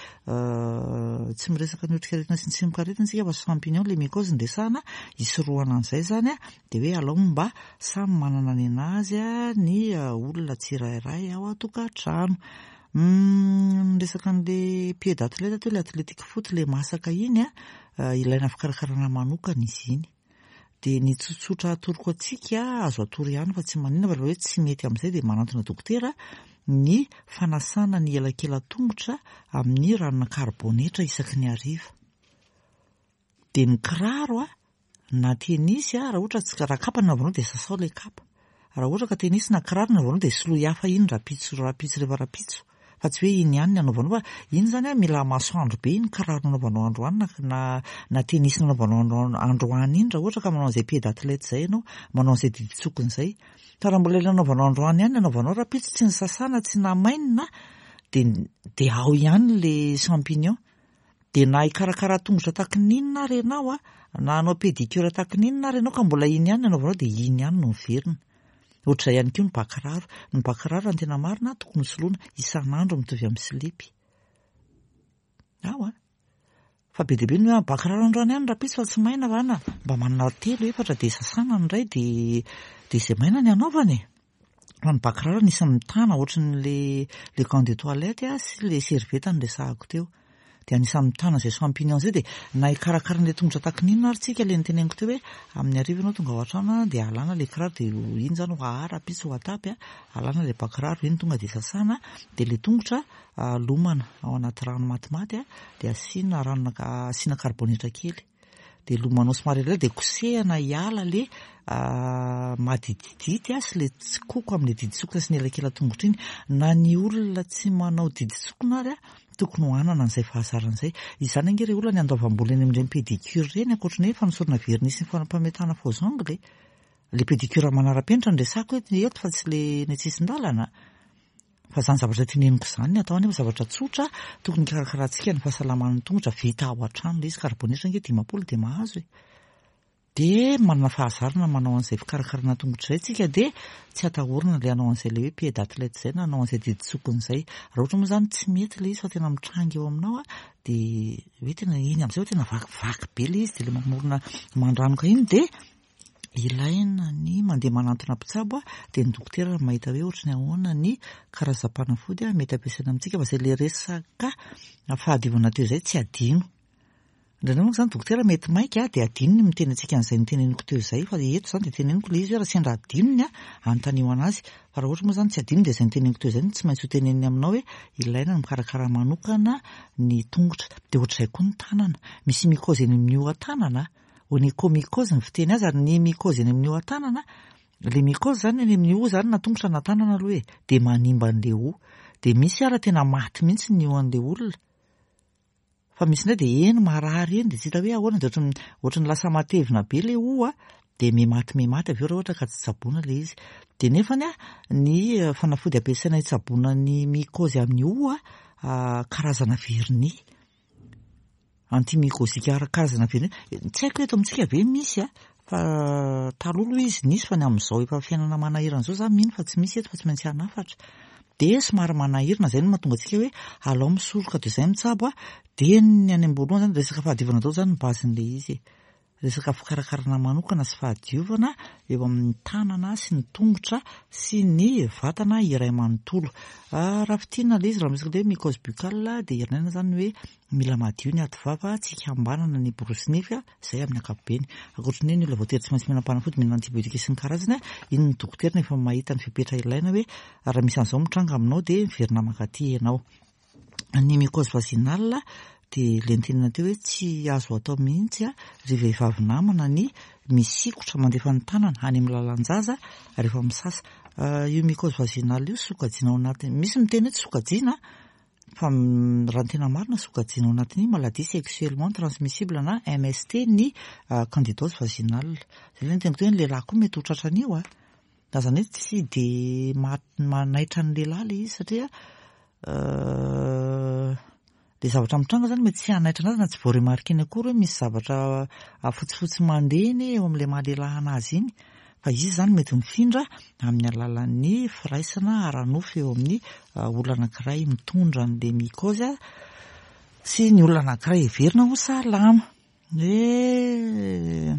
tsy miresaka ny otrikaretina sy ny tsimokaretina isika fa champignon ilay mycose no resahana, hisorohana an'izay izany dia hoe alao mba samy manana ny an'azy ny olona tsirairay ao an-tokantrano. Niresaka an'ilay pied d'athlète teo, ilay athletic foot ilay masaka iny, ilaina fikarakarana manokana izy iny. Dia ny tsotsotra atoroko antsika, azo atoro ihany fa tsy maninona fa rehefa hoe tsy mety amin'izay dia manantona dokotera, ny fanasana ny elakelan-tongotra amin'ny ranona karibonetra isaky ny hariva. Dia ny kiraro na tenisy, raha ohatra tsy, raha kapa no anaovanao dia sasao ilay kapa. Raha ohatra ka tenisy na kiraro no anaovanao dia soloy hafa iny rahampitso rahampitso rehefa rahampitso. Fa tsy hoe iny ihany ny anaovanao fa iny izany an mila masoandro be iny kiraro nanaovanao androany na na na tenisy nanaovanao andro androany iny raha ohatra ka manao an'izay pied d'athlète izay ianao, manao an'izay didin-tsokina izay. Fa raha mbola ilay nanaovanao androany ihany ny anaovanao rahampitso tsy nisasana tsy namainina dia dia ao ihany ilay champignon. Dia na hikarakara tongotra tahaky ny inona ary ianao an, na hanao pédicure tahaky ny inona ary ianao ka mbola iny ihany ny anaovanao dia iny ihany no miverina. Ohatr'izay ihany koa ny bà kiraro. Ny bà kiraro raha ny tena marina tokony ho soloina isan'andro mitovy amin'ny silipy. Ao an! Fa be dia be ny hoe bà kiraro androany ihany rahampitso fa tsy maina va na mba manana telo efatra dia sasana ny iray dia dia izay maina ny anaovana e! Fa ny bà kiraro anisan'ny mitana ohatran'le le gant de toilette sy le serviette noresahako teo. Dia anisan'ny mitana izay champignon izay dia na hikarakara an'ilay tongotra tahaky ny inona ary tsika ilay noteneniko teo hoe amin'ny hariva ianao tonga ao an-trano dia alana ilay kiraro dia iny izany ho ahaha rahampitso ho atapy alana ilay bà kiraro iny tonga dia sasana dia ilay tongotra lomana ao anaty rano matimaty dia asiana ranona asiana karibonetra kely. Dia lomanao somary elaela dia kosehana hiala le madididity sy le tsikoko amin'ilay diditsokona sy ny elakelan-tongotra iny. Na ny olona tsy manao diditsokona ary tokony ho hanana an'izay fahazarana izay. Izany ange re olona ny andoavam-bola eny amin'ireny pédicure ireny ankoatry ny hoe fanosorana vernis sy ny fampametahana faux ongles e. Le pédicure manara-penitra no resahako eto fa tsy le eny an-tsisin-dalana. Fa izany zavatra teneniko izany ny atao anefa zavatra tsotra tokony hikarakarantsika ny fahasalaman'ny tongotra vita ao an-trano ilay izy karibonetra ange 50 dia mahazo e. Dia manana fahazarana manao an'izay fikarakarana tongotra izay tsika dia tsy atahorana ilay hanao an'izay ilay hoe pied d'athlète izay na hanao an'izay didin-tsokina izay. Raha ohatra moa izany tsy mety ilay izy fa tena mitranga eo aminao dia hoe tena iny amin'izay hoe tena vakivaky be ilay izy dia ilay mamorona mandranoka iny dia Ilaina ny mandeha manantona mpitsabo dia ny dokotera no mahita hoe ohatry ny ahoana ny karazam-panafody mety ampiasaina amintsika fa izay ilay resaka fahadiovana teo izay tsy adino. Indraindray manko izany dokotera mety maika dia adinony ny miteny antsika an'izay noteneniko teo izay fa eto izany dia teneniko ilay izy hoe raha sendra adinony anontanio an'azy fa raha ohatra moa izany tsy adino dia izay noteneniko teo izay no tsy maintsy ho teneniny aminao hoe ilaina ny mikarakara manokana ny tongotra. Dia ohatr'izay koa ny tanana. Misy mycose eny amin'ny hoho-tanana. Onychomycose ny fiteny azy ary ny mycose eny amin'ny hoho-tanana, ilay mycose izany eny amin'ny hoho izany na tongotra na tanana aloha e, dia manimba an'ilay hoho. Dia misy ara tena maty mihitsy ny hoho an'ilay olona. Fa misy indray dia eny marary eny dia tsy hita hoe ahoana dia ohatran'ny ohatran'ny lasa matevina be ilay hoho dia mihamaty mihamaty avy eo raha ohatra ka tsy tsaboina ilay izy. Dia nefany ny fanafody ampiasaina hitsaboana ny mycose amin'ny hoho karazana vernis. Antimycosique ara-karazana ve Tsy haiko eto amintsika ve misy a, fa taloha aloha izy nisy fa ny amin'izao efa fiainana manahirana izao za mino fa tsy misy eto fa tsy maintsy hanafatra. Dia somary manahirana izay no mahatonga antsika hoe alao misoroka toy izay mitsabo a, dia ny any am-boalohany izany resaka fahadiovana daholo izany ny base-n'ilay izy e. Resaka fikarakarana manokana sy fahadiovana eo amin'ny tanana sy ny tongotra sy ny vatana iray manontolo. Raha fintinina ilay izy, raha miresaka hoe mycose buccale dia irinaina izany hoe mila madio ny aty vava, tsy hikambanana ny borosy nify, izay amin'ny ankapobeny. Ankoatry ny hoe ny olona voatery tsy maintsy mihinam-panafody, mihinana antibiotique sy ny karazany, iny ny dokotera no efa mahita ny fepetra ilaina hoe raha misy an'izao mitranga aminao dia miverina mankaty ianao. Ny mycose vaginale dia ilay notenenina teo hoe tsy azo atao mihitsy ry vehivavy namana ny misikotra mandefa ny tanana any amin'ny lalan-jaza rehefa misasa. Io mycose vaginale io sokajiana ao anatin'ny, misy miteny hoe tsy sokajiana fa raha ny tena marina sokajiana ao anatin'ny maladie sexuellement transmissible na MST ny candidose vaginale. Izay ilay niteniko teo hoe ny lehilahy koa mety ho tratran'io a. Na izany hoe tsy dia manaitra ny lehilahy ilay izy satria Ilay zavatra mitranga izany mety tsy hanaitra anazy na tsy voaremarquer-ny akory hoe misy zavatra fotsifotsy mandeha anie eo amin'ilay maha lehilahy anazy iny. Fa izy izany mety mifindra amin'ny alalan'ny firaisana ara-nofo eo amin'ny olona anankiray mitondra an'ilay mycose sy ny olona anankiray heverina ho salama. Hoe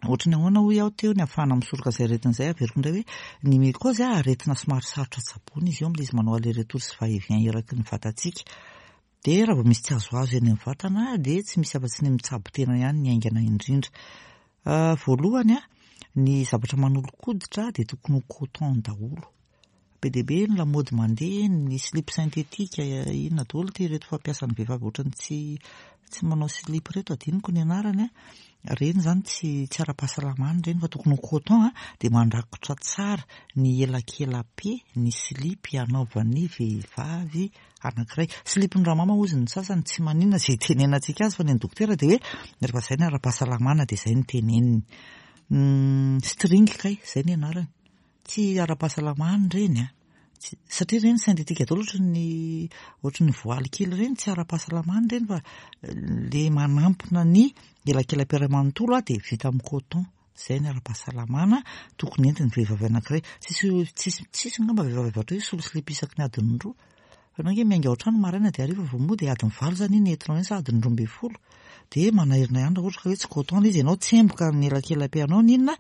ohatry ny ahoana hoy aho teo ny ahafahana misoroka izay aretina izay, averiko indray hoe ny mycose aretina somary sarotra tsaboina izy io amin'ilay izy manao aller retour sy va et vient eraky ny vatantsika. Dia raha vao misy tsy azoazo eny amin'ny vatana dia tsy misy afa-tsy ny mitsabo tena ihany ny haingana indrindra. Voalohany, ny zavatra manolo-koditra dia tokony ho coton daholo. Be dia be ny lamaody mandeha, ny slip synthétique, inona daholo ity ireto fampiasan'ny vehivavy ohatran'ny tsy tsy manao slip ireto, adinoko ny anarany an, ireny izany tsy tsy ara-pahasalamana ireny fa tokony ho coton an, dia mandrakotra tsara ny elakela-pe ny slip anaovan'ny vehivavy anankiray. Slip-n'ny ramama hozy ny sasany, tsy maninona izay itenenantsika azy fa ny an'ny dokotera dia hoe rehefa izay ny ara-pahasalamana dia izay no teneniny. String kay, izay ny anarany. Tsy ara-pahasalamana ireny an! Satria ireny synthétique daholo ohatry ny ohatry ny voaly kely ireny, tsy ara-pahasalamana ireny fa le manampina ny elakelam-piara iray manontolo dia vita amin'ny coton. Izay ny ara-pahasalamana tokony entin'ny vehivavy anankiray. Tsisy tsisy tsisy angamba vehivavy avy hatreo hisolo slip isaky ny adiny roa. Fa ianao ange miainga ao an-trano maraina dia hariva vao mody e, adiny valo izany iny entinao iny sa adiny 12. Dia manahirana ihany raha ohatra ka hoe tsy coton ilay izy, ianao tsemboka ny elakelam-pianao ny inona,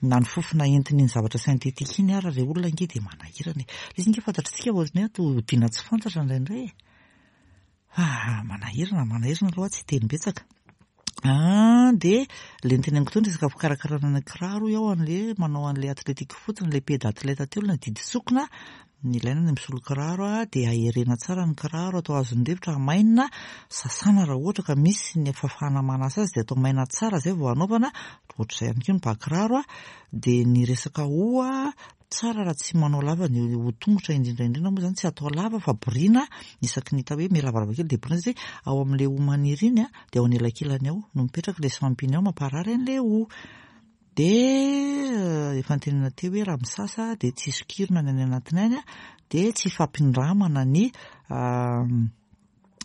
na ny fofona entin'iny zavatra synthétique iny ara re olona ange dia manahirana e. Ilay izy ange fantatr'tsika fa ohatran'ny hoe ato hodiana tsy fantatra indraindray e. Ah, manahirana, manahirana aloha tsy hiteny betsaka. Ah, dia ilay noteneniko teo ny resaka fikarakarana ny kiraro hoy aho an'ilay manao an'ilay athlétique fotsiny, ilay pied d'athlète teo ilay didy sokina, ny ilaina ny misolo kiraro dia aherena tsara ny kiraro, atao azon'ny rivotra, hamainina, sasana raha ohatra ka misy ny fahafahana manasa azy dia atao maina tsara izay vao hanaovana, ohatr'izay ihany koa ny bà kiraro, dia ny resaka hoho, tsara raha tsy manao lava ny hoho-tongotra indrindra indrindra moa izany tsy atao lava fa borina isaky ny hita hoe mihalavalava kely dia borina satria ao amin'ilay hoho maniry iny dia ao anelakelany ao no mipetraka ilay champignon mamparary an'ilay hoho. Dia efa notenenina teo hoe raha misasa dia tsy sokirina ny any anatiny any dia tsy ifampindramana ny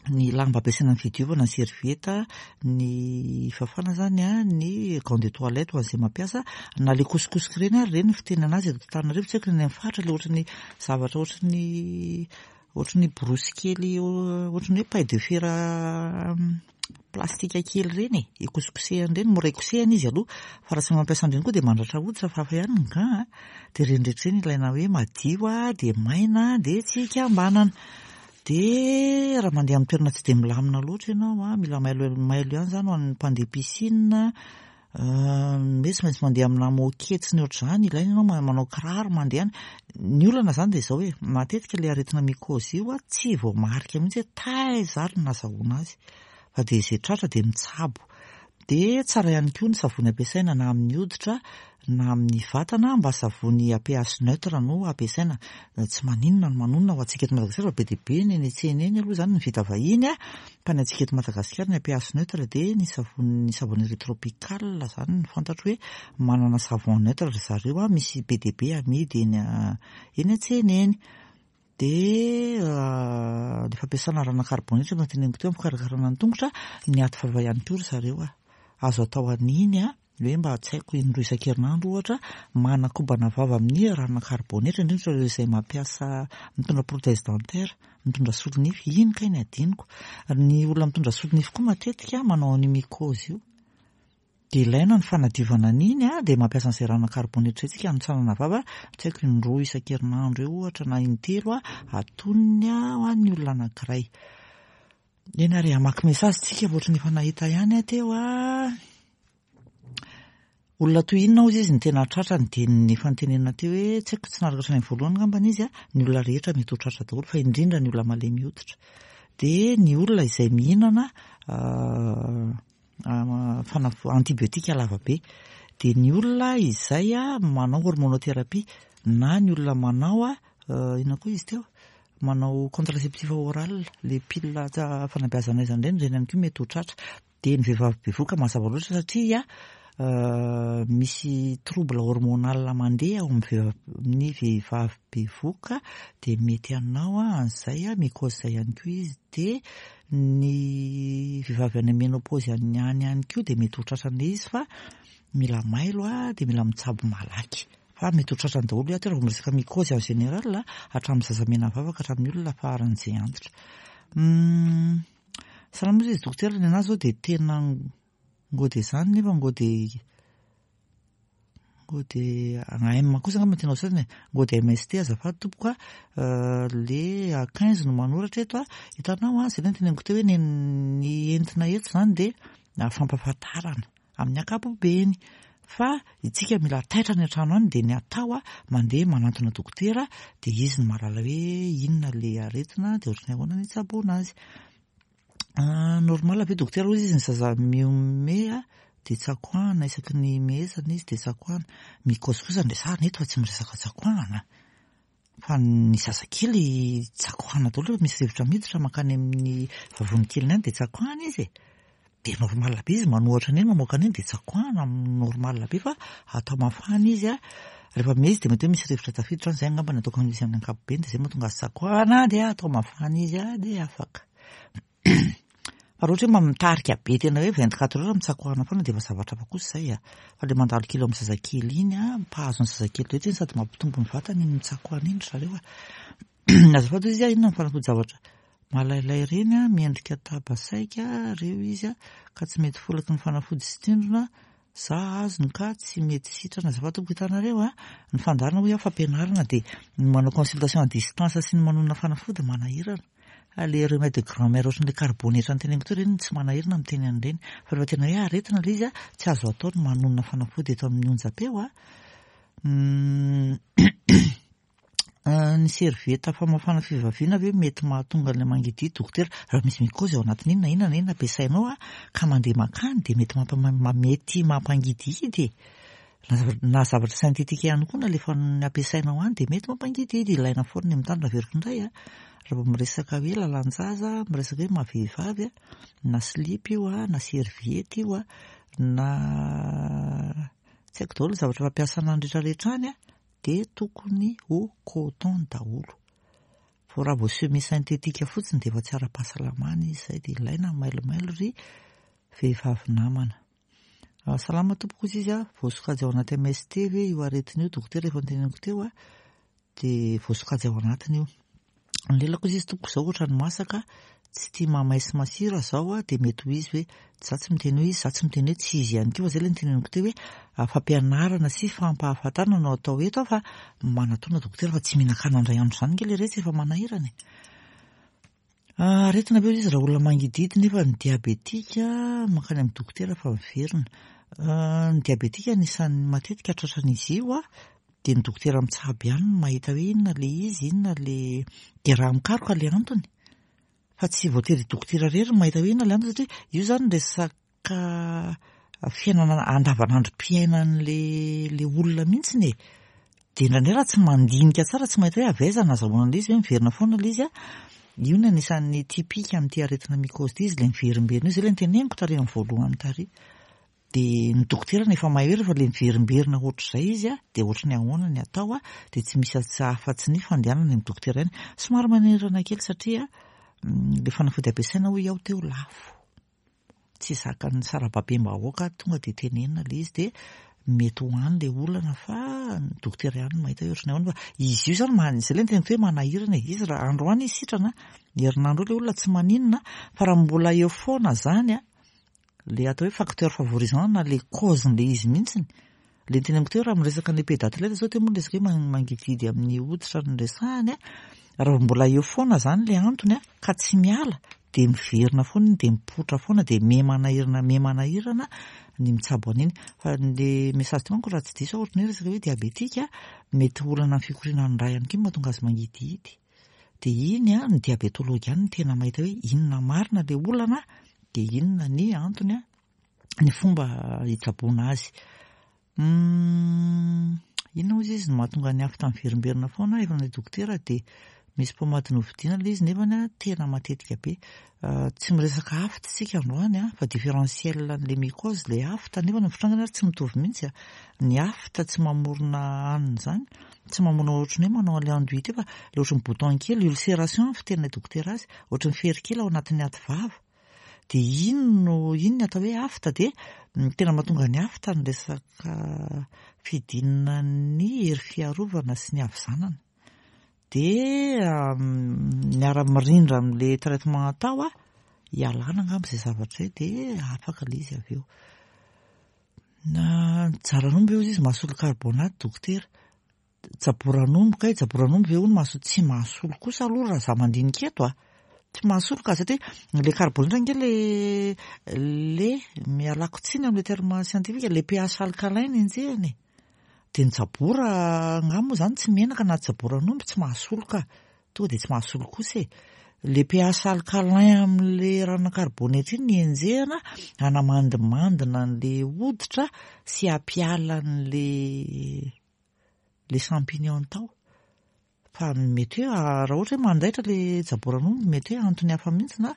ny lamba ampiasaina amin'ny fidiovana, ny serviette, ny fafana izany an, ny gant de toilette ho an'izay mampiasa, na ilay kosikosika ireny ary ireny ny fitenenana azy eto Antananarivo, tsy haiko ny any amin'ny faritra ilay ohatran'ny zavatra ohatran'ny ohatran'ny borosy kely ohatran'ny hoe paille de fer plastika kely ireny e, ikosikosehana ireny, mora ikosehana izy aloha, fa raha tsy mampiasa an'ireny koa dia mandratra hoditra fa hafa ihany ny gant a, dia ireny rehetra ireny ilaina hoe madio dia maina dia tsy ikambanana. Dia raha mandeha amin'ny toerana tsy dia milamina loatra ianao a, mila mailo mailo ihany izany ho an'ny mpandeha piscine, hoe tsy maintsy mandeha amina moquette sy ny ohatr'izany, ilaina ianao manao kiraro mandeha any. Ny olana izany dia izao hoe, matetika ilay aretina mycose io tsy voamarika mihitsy hoe taiza ary no nazahoana azy, fa dia izay tratra dia mitsabo. Dia tsara ihany koa ny savony ampiasaina na amin'ny hoditra na amin'ny vatana mba savony à pH neutre no ampiasaina. Tsy maninona ny manonona ho antsika eto Madagasikara fa be dia be ny eny an-tsena eny aloha izany ny vita vahiny fa ny antsika eto Madagasikara ny à pH neutre dia ny savony ny savonnerie tropicale izany no fantatro hoe manana savon neutre ry zareo misy be dia be amidy eny eny an-tsena eny. Dia ny fampiasana rana karbônetra efa noteneniko teo amin'ny fikarakarana ny tongotra, ny ady vava ihany koa ry zareo a. Azo atao an'iny a, hoe mba tsy haiko indroa isan-kerinandro ohatra, manakobana vava amin'ny rana karbônetra, indrindra ireo izay mampiasa mitondra prothèse dentaire, mitondra solonify, iny kay ny adinoko. Ny olona mitondra solonify koa matetika manao an'io mycose io. Dia ilaina ny fanadiovana an'iny a, dia mampiasa an'izay rano karbônetra izay tsika hanotsanana vava, tsy haiko indroa isan-kerinandro eo ohatra na intelo a, atonony a ho an'ny olona anankiray. Eny ary hamaky message tsika fa ohatran'ny efa nahita ihany aho teo a. Olona toy inona hozy izy no tena tratrany dia ny efa notenenina teo hoe tsy haiko tsy naharaka hatrany amin'ny voalohany angambany izy a, ny olona rehetra mety ho tratra daholo fa indrindra ny olona malemy hoditra. Dia ny olona izay mihinana fanafody antibiotika lava be. Dia ny olona izay manao hormonothérapie na ny olona manao inona koa izy teo? Manao contraceptif oral, le pilule fanabeazana aizana ireny, ireny ihany koa mety ho tratra. Dia ny vehivavy bevohoka mazava loatra satria misy trouble hormonal mandeha ao amin'ny vehivavy bevohoka dia mety hanao an'izay mycose izay ihany koa izy. Dia ny vehivavy any amin'ny ménopause any ihany koa dia mety ho tratran'ilay izy fa mila mailo dia mila mitsabo malaky. Fa mety ho tratrany daholo ato raha vao miresaka mycose en général hatramin'ny zaza menavava ka hatramin'ny olona faran'izay antitra. Salama ozy izy dokotera, ny anahy zao dia tena ngô dia zany nefa ngô dia ngô dia AM kosa angamba tena ho sasany e, ngô dia MST azafady tompoko a, le A15 no manoratra eto a, hitanao a, zay le noteneniko teo hoe ny entina eto zany dia fampahafantarana amin'ny ankapobeny fa itsika mila taitra any an-trano any dia ny atao a, mandeha manantona dokotera dia izy no mahalala hoe inona le aretina dia ohatran'ny ahoana ny hitsaboana azy. Normal ve dokotera hoy izy ny zaza mihomehy dia tsakoahana isaky ny mihezana izy dia tsakoahana. Mycose kosa no resahana eto fa tsy miresaka tsakoahana. Fa ny zazakely tsakoahana daholo rehefa misy rivotra miditra mankany amin'ny vavony keliny any dia tsakoahana izy e. Dia normal be izy manohatra an'iny mamoaka an'iny dia tsakoahana normal be fa atao mafana izy a. Rehefa miha izy dia mety hoe misy rivotra tafiditra any, izay angamba no ataoko an'izy amin'ny ankapobeny dia izay mahatonga azy tsakoahana dia atao mafana izy a dia afaka. Fa raha ohatra hoe mitarika be tena hoe 24 heures mitsakoahana foana dia efa zavatra hafa kosa izay a. Fa ilay mandalo kely eo amin'ny zazakely iny a, mpahazo ny zazakely rehetra iny sady mampitombo ny vatany iny mitsakoahana iny ry zareo a. Azafady hoy izy a, inona ny fanafody zavatra malailay ireny a, miendrika tabasaika ireo izy a, ka tsy mety folaky ny fanafody sy tsindrona, za azony ka tsy mety sitrana. Azafady tompoko, hitanareo a, ny fandaharana hoy aho fampianarana dia ny manao consultation à distance sy ny manonona fanafody manahirana. Le remède de grand-mère ohatran'ilay karibonetra noteneniko teo ireny tsy manahirana miteny an'ireny. Fa rehefa tena hoe aretina ilay izy a, tsy azo atao ny manonona fanafody eto amin'ny onjam-peo a. Ny serviette famafana fivaviana ve mety mahatonga an'ilay mangidihidy dokotera? Raha misy mycose ao anatin'iny na inona na inona ampiasainao a, ka mandeha mankany dia mety mety mampangidihidy e. Na zavatra synthétique ihany koa nalefan'ny ampiasainao any dia mety mampangidihidy. Ilaina foana ny mitandrina averiko indray a. Raha vao miresaka hoe lalan-jaza, miresaka hoe maha vehivavy a, na slip io a, na serviette io a, na tsy haiko daholo ny zavatra fampiasana any rehetrarehetra any a, dia tokony ho coton daholo. Fa raha vao semi synthétique fotsiny dia efa tsy ara-pahasalamana izy izay dia ilaina ny mailomailo ry vehivavy namana. Salama tompoko hozy izy a, voasokajy ao anaty MST ve io aretina io dokotera efa noteneniko teo a, dia voasokajy ao anatiny io. Ny lelako hozy izy tompoko izao ohatran'ny masaka, tsy tia mamay sy masira zao a, dia mety ho izy hoe, za tsy miteny hoe izy, za tsy miteny hoe tsy izy ihany koa fa zay ilay noteneniko teo hoe fampianarana sy fampahafantarana no atao eto fa manatona dokotera fa tsy mihinan-kanina indray andro izany nge le retsy efa manahirana e. Aretina ve izy raha olona mangidihidy nefa ny diabetika mankany amin'ny dokotera fa miverina. Ny diabetika anisan'ny matetika tratran'izy io dia ny dokotera mitsabo ihany no mahita hoe inona ilay izy, inona ilay dia raha mikaroka ilay antony fa tsy voatery dokotera irery no mahita hoe inona ilay antony satria io izany resaka Ka fiainana andavanandrom-piainan'le le olona mihitsiny e. Dia indraindray raha tsy mandinika tsara, tsy mahita hoe avy aiza nazahoana an'ilay izy, hoe miverina foana ilay izy an, io no anisan'ny typique amin'ity aretina mycose ity, izy ilay miverimberina io, izay ilay noteneniko tary amin'ny voalohany tary. Dia ny dokotera efa mahay hoe rehefa ilay miverimberina ohatr'izay izy an, dia ohatry ny ahoana ny atao an, dia tsy misy afa-tsy ny fandehanana any amin'ny dokotera ihany. Somary manahirana kely satria ilay fanafody ampiasaina hoy aho teo lafo. tsy zakan'ny sarababem-bahoaka tonga dia tenenina ilay izy dia mety ho any ilay olana fa ny dokotera ihany no mahita hoe ohatran'ny ahoana fa izy io izany man- izay ilay niteneniko hoe manahirana e, izy raha androany izy sitrana, herinandro eo ilay olona tsy maninona fa raha mbola eo foana izany an, ilay atao hoe facteur favorisant na ilay cause-n'ilay izy mihitsiny, Ilay noteneniko teo raha miresaka an'ilay pédatelette zao teo moa ny resaka hoe mangidihidy amin'ny hoditra no resahany a, raha vao mbola eo foana izany ilay antony a, ka tsy miala dia miverina foana iny dia mipoitra foana dia miha manahirana miha manahirana ny mitsabo an'iny. Fa le message teo manko raha tsy diso aho ohatran'ny hoe resaka hoe diabetika mety ho olana amin'ny fikorianan'ny rà ihany koa no mahatonga azy mangidihidy. Dia iny a, ny diabetologue ihany no tena mahita hoe inona marina ilay olana dia inona ny antony a, ny fomba hitsaboana azy. Humm inona hozy izy no mahatonga ny afta miverimberina foana efa nandeha dokotera dia misy pommade novidiana ilay izy nefany a tena matetika be. Tsy miresaka afta isika androany a fa différentiel an'ilay mycose ilay afta nefa ny fitrangany ary tsy mitovy mihitsy a. Ny afta tsy mamorona anona izany, tsy mamorona ohatran'ny hoe manao an'ilay enduit teo fa ilay ohatran'ny bouton kely, ulcération ny fiteninay dokotera azy, ohatran'ny fery kely ao anatin'ny aty vava. Dia iny no, iny ny atao hoe afta dia ny tena mahatonga ny afta ny resaka fidinan'ny hery fiarovana sy ny havizanana. Dia miara-mirindra amin'ilay traitement atao hialana angamba izay zavatra izay dia afaka ilay izy avy eo. Na jaran'omby hozy izy mahasolo carbonate dokotera. Jaboran'omby kay, jaboran'omby ve hono mahasolo, tsy mahasolo kosa aloha raha za mandinika eto a! Tsy mahasolo ka satria le carbonate ange le le mialako tsiny amle terme scientifique le pH alcalin no enjehina e! De ny jabora angaha moa zany tsy menaka na jaboran'omby tsy mahasolo ka! Tonga de tsy mahasolo kosa e! Le pH alcalin amle ranona carbonate iny no enjehina hanamandimandina an'le hoditra sy hampiala an'le le champignon tao fa mety hoe raha ohatra hoe mandaitra le jaboran'omby mety hoe antony hafa mihitsy na